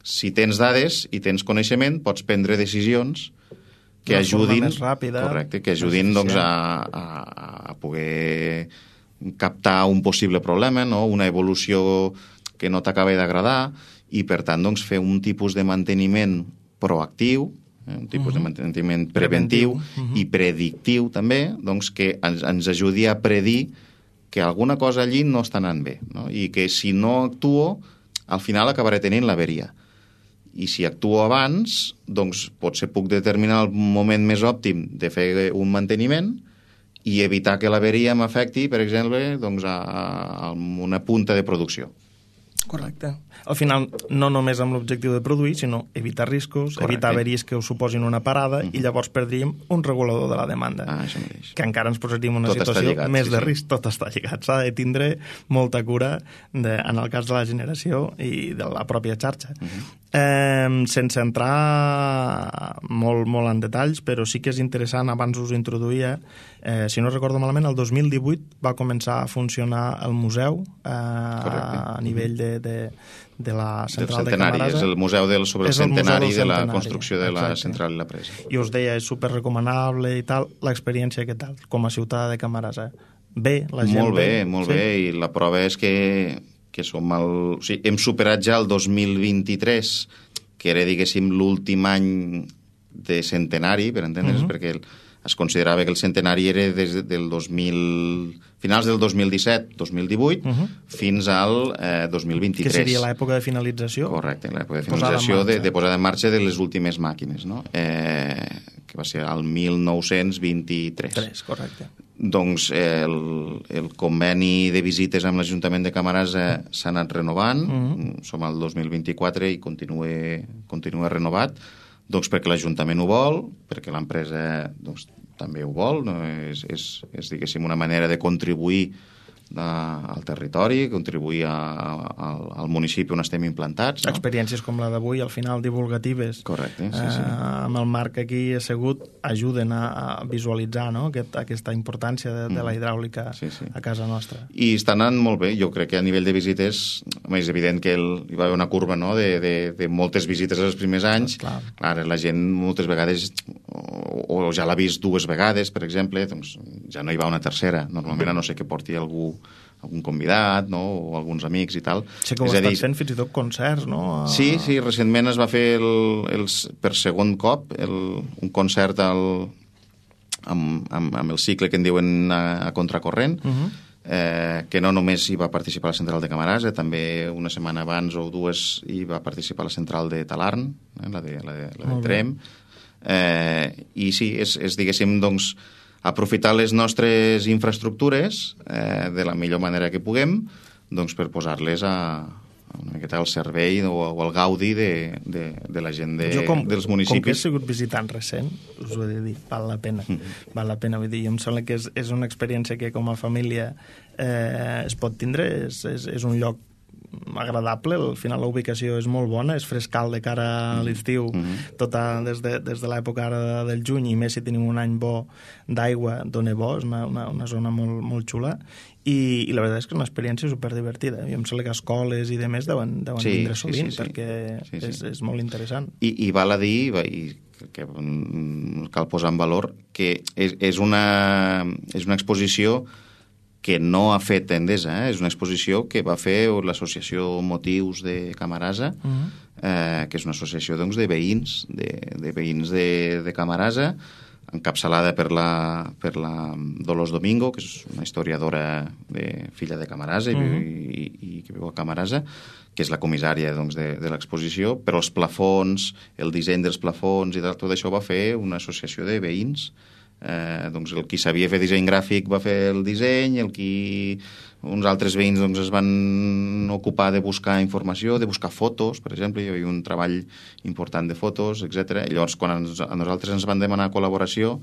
si tens dades i tens coneixement, pots prendre decisions que Una ajudin, més ràpida, correcte, que ajudin doncs, a, a, a poder captar un possible problema, no? Una evolució que no t'acaba d'agradar, i, per tant, doncs, fer un tipus de manteniment proactiu, eh? un tipus uh -huh. de manteniment preventiu, preventiu. Uh -huh. i predictiu, també, doncs, que ens, ens ajudi a predir que alguna cosa allí no està anant bé, no? I que si no actuo, al final acabaré tenint l'averia. I si actuo abans, doncs potser puc determinar el moment més òptim de fer un manteniment i evitar que l'averia m'afecti, per exemple, doncs, a, a una punta de producció. Correcte. Al final, no només amb l'objectiu de produir, sinó evitar riscos, correcte, evitar averies que us suposin una parada, uh-huh. i llavors perdríem un regulador de la demanda. Ah, això mateix. Que encara ens posaríem en una tot situació lligat, més sí, de sí. risc. Tot està lligat. S'ha de tindre molta cura de, en el cas de la generació i de la pròpia xarxa. Uh-huh. eh, sense entrar molt, molt en detalls, però sí que és interessant, abans us introduïa, eh, si no recordo malament, el dos mil divuit va començar a funcionar el museu eh, a nivell de de, de la central de Camarasa. És el museu del, sobre el centenari del de la centenari, construcció de exacte. La central i la presa. I us deia, és superrecomanable i tal, l'experiència que tal, com a ciutadà de Camarasa. Bé, la gent... Molt bé, molt sí? bé, i la prova és que, que som el... O sigui, hem superat ja el dos mil vint-i-tres, que era, diguéssim, l'últim any de centenari, per entendre's, uh -huh. perquè es considerava que el centenari era des del dos mil... finals del dos mil disset dos mil divuit, uh -huh. fins al eh, dos mil vint-i-tres. Que seria l'època de finalització? Correcte, l'època de finalització, de, de posada en marxa de les últimes màquines, no? Eh, que va ser el mil nou-cents vint-i-tres. Tres, correcte. Doncs eh, el, el conveni de visites amb l'Ajuntament de Camarasa s'ha anat renovant, uh -huh. som al dos mil vint-i-quatre i continua, continua renovat, doncs perquè l'Ajuntament ho vol, perquè l'empresa doncs, també ho vol, no? és, és, és diguéssim, una manera de contribuir a, al territori, contribuir a, a, al municipi on estem implantats. No? Experiències com la d'avui, al final divulgatives, correcte, sí, sí. Eh, amb el Marc aquí assegut, ajuden a, a visualitzar, no? Aquest, aquesta importància de, de la hidràulica sí, sí. a casa nostra. I està anant molt bé, jo crec que a nivell de visites, és evident que el, hi va haver una curva, no? de, de, de moltes visites els primers anys. Clar. Clar, la gent moltes vegades o, o ja l'ha vist dues vegades, per exemple, doncs ja no hi va una tercera. Normalment, a no sé que porti algú, algun convidat, no? O alguns amics i tal. Sé que ho estàs fent fins i tot concerts, no? A... Sí, sí, recentment es va fer el, el, per segon cop el, un concert al, amb, amb, amb el cicle que en diuen a, a contracorrent, uh-huh. eh, que no només hi va participar la central de Camarasa, també una setmana abans o dues hi va participar la central de Talarn, eh, la de, la de, la de Trem. Eh, I sí, és, és diguéssim, doncs, aprofitar les nostres infraestructures eh, de la millor manera que puguem, doncs, per posar-les a, a una miqueta al servei o, o al gaudi de, de, de la gent de, com, dels municipis. Com que he sigut visitant recent, us ho he de dir, val la pena. Mm. Val la pena, vull dir, em sembla que és, és una experiència que com a família eh, es pot tindre, és, és, és un lloc agradable, al final la ubicació és molt bona, és frescal de cara a l'estiu, mm-hmm. tota des de, des de l'època ara del juny, i més si tenim un any bo d'aigua, dona bo, és una, una, una zona molt, molt xula, i, i la veritat és que és una experiència superdivertida. I em sembla que escoles i demés deuen, deuen sí, vindre sovint, sí, sí, sí. perquè sí, sí. És, és molt interessant. I, i val a dir, i que cal posar en valor, que és, és, una, és una exposició que no ha fet Endesa, eh? És una exposició que va fer l'associació Motius de Camarasa, uh-huh. eh, que és una associació doncs, de veïns, de, de veïns de, de Camarasa, encapçalada per la, per la Dolors Domingo, que és una historiadora de filla de Camarasa uh-huh. i, i, i que viu a Camarasa, que és la comissària doncs, de, de l'exposició, però els plafons, el disseny dels plafons i tot això va fer una associació de veïns. Eh, doncs el qui sabia fer disseny gràfic va fer el disseny, el qui uns altres veïns doncs, es van ocupar de buscar informació, de buscar fotos, per exemple, hi havia un treball important de fotos, etcètera. I llavors, quan ens, a nosaltres ens van demanar col·laboració,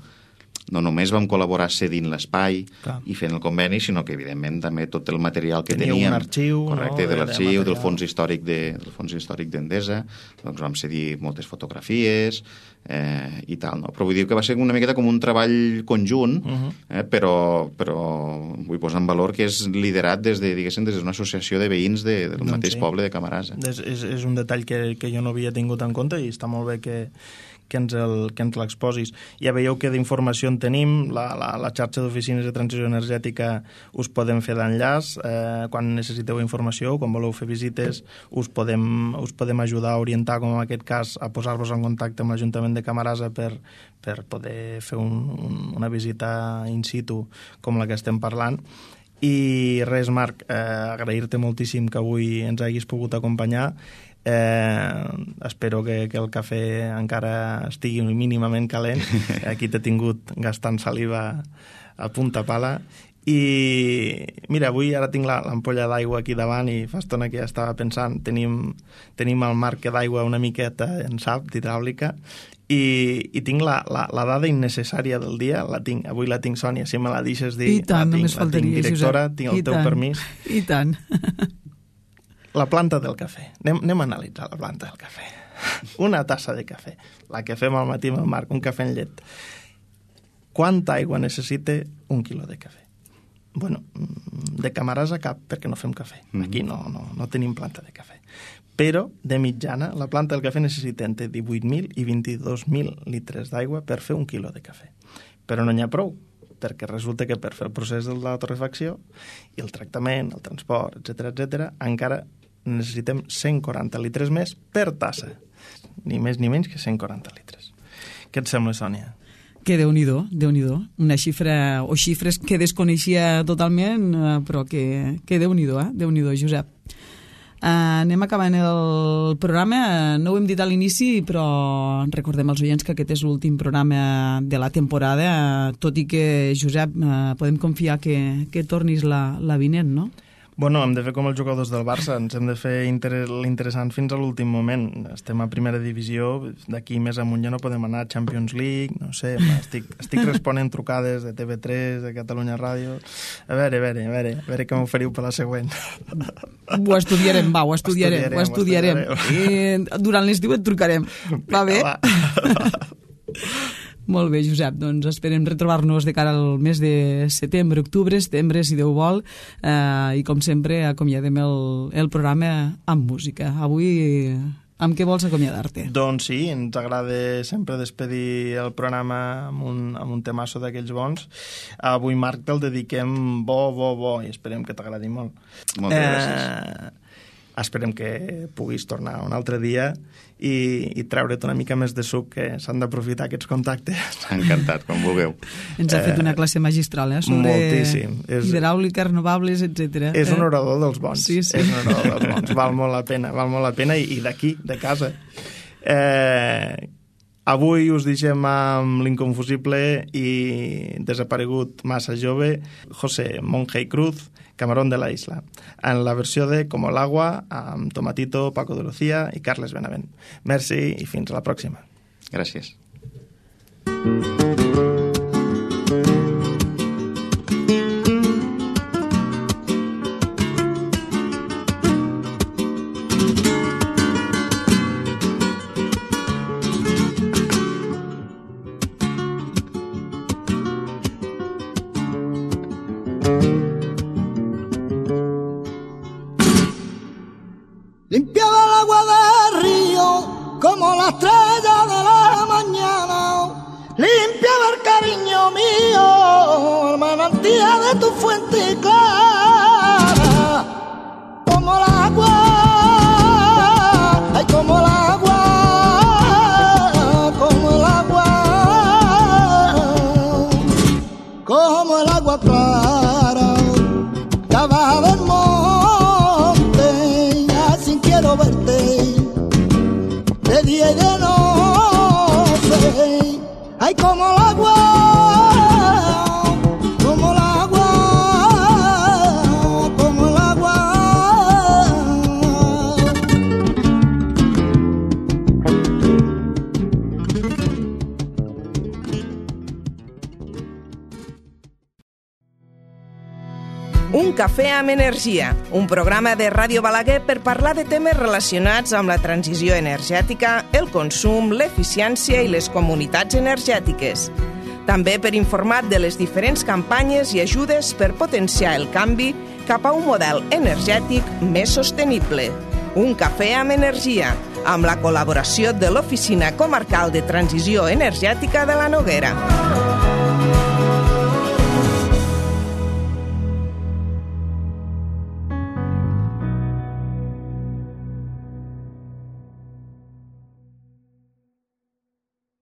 no només vam col·laborar cedint l'espai Clar. i fent el conveni, sinó que, evidentment, també tot el material que Teníeu teníem... un arxiu, correcte, no? de l'arxiu, de del fons històric de, del fons històric d'Endesa, doncs vam cedir moltes fotografies eh, i tal, no? Però vull dir que va ser una miqueta com un treball conjunt, uh -huh. eh, però, però vull posar en valor que és liderat des de, diguéssim, des d'una associació de veïns de, del doncs mateix sí. poble de Camarasa. És, és, és un detall que, que jo no havia tingut en compte i està molt bé que, que ens el, que ens l'exposis. Ja veieu que d'informació en tenim, la, la, la xarxa d'oficines de transició energètica us podem fer d'enllaç, eh, quan necessiteu informació, quan voleu fer visites, us podem, us podem ajudar a orientar, com en aquest cas, a posar-vos en contacte amb l'Ajuntament de Camarasa per, per poder fer un, un, una visita in situ com la que estem parlant. I res, Marc, eh, agrair-te moltíssim que avui ens haguis pogut acompanyar. Eh, espero que, que el cafè encara estigui mínimament calent. Aquí t'he tingut gastant saliva a punta pala. I mira, avui ara tinc l'ampolla d'aigua aquí davant i fa estona que ja estava pensant, tenim, tenim el marc d'aigua una miqueta en sap d'hidràulica i, i tinc la, la, la dada innecessària del dia, la tinc, avui la tinc, Sònia, si me la deixes dir, I tant, la tinc, només la tinc, faltaria, directora, Josep. tinc el I teu tant. permís. I tant. La planta del cafè. Anem, anem a analitzar la planta del cafè. Una tassa de cafè, la que fem al matí amb el Marc, un cafè en llet. Quanta aigua necessita un quilo de cafè? Bueno, de Camarasa cap, perquè no fem cafè. Aquí no, no, no tenim planta de cafè. Però, de mitjana, la planta del cafè necessita entre divuit mil i vint-i-dos mil litres d'aigua per fer un quilo de cafè. Però no n'hi ha prou, perquè resulta que per fer el procés de la torrefacció i el tractament, el transport, etcètera, etcètera, encara necessitem cent quaranta litres més per tassa. Ni més ni menys que cent quaranta litres. Què et sembla, Sònia? Que Déu-n'hi-do, Déu-n'hi-do. Una xifra, o xifres que desconeixia totalment, eh, però que, que Déu-n'hi-do, eh? Déu-n'hi-do, Josep. Uh, anem acabant el programa. No ho hem dit a l'inici, però recordem als oients que aquest és l'últim programa de la temporada, tot i que, Josep, uh, podem confiar que, que tornis la, la vinent, no? Bueno, hem de fer com els jugadors del Barça, ens hem de fer inter l'interessant fins a l'últim moment. Estem a primera divisió, d'aquí més amunt ja no podem anar a Champions League, no sé, estic, estic responent trucades de T V tres, de Catalunya Ràdio. A veure, a veure, a veure, a veure què m'oferiu per la següent. Ho estudiarem, va, ho estudiarem, ho estudiarem. Ho estudiarem. I durant l'estiu et trucarem. Va bé? Va. Molt bé, Josep, doncs esperem retrobar-nos de cara al mes de setembre, octubre, setembre, si Déu vol, eh, i com sempre acomiadem el, el programa amb música. Avui, amb què vols acomiadar-te? Doncs sí, ens agrada sempre despedir el programa amb un, amb un temasso d'aquells bons. Avui, Marc, te'l dediquem bo, bo, bo, i esperem que t'agradi molt. Moltes eh... gràcies. Esperem que puguis tornar un altre dia i, i treure't una mica més de suc, que s'han d'aprofitar aquests contactes. Encantat, com vulgueu. Ens ha fet una classe magistral, eh? Sobre moltíssim. És, hidràulica, renovables, etcètera. És eh? un orador dels bons. Sí, sí. És un orador dels bons. Val molt la pena, val molt la pena, i, i d'aquí, de casa. Eh, avui us deixem amb l'inconfusible i desaparegut massa jove, José Monge Cruz, Camarón de la Isla, en la versió de Como el agua, amb Tomatito, Paco de Lucía i Carles Benavent. Merci i fins a la pròxima. Gràcies. Limpiaba el agua del río como la estrella de la mañana. Limpiaba el cariño mío, el manantial de tu fuente clara. Como el agua, ay, como el agua, como el agua, como el agua clara, que va del monte, así quiero verte, de día y de noche, ay, como el agua, como el agua, como el agua. cafè amb energia, un programa de Ràdio Balaguer per parlar de temes relacionats amb la transició energètica, el consum, l'eficiència i les comunitats energètiques. També per informar de les diferents campanyes i ajudes per potenciar el canvi cap a un model energètic més sostenible. Un cafè amb energia, amb la col·laboració de l'Oficina Comarcal de Transició Energètica de la Noguera.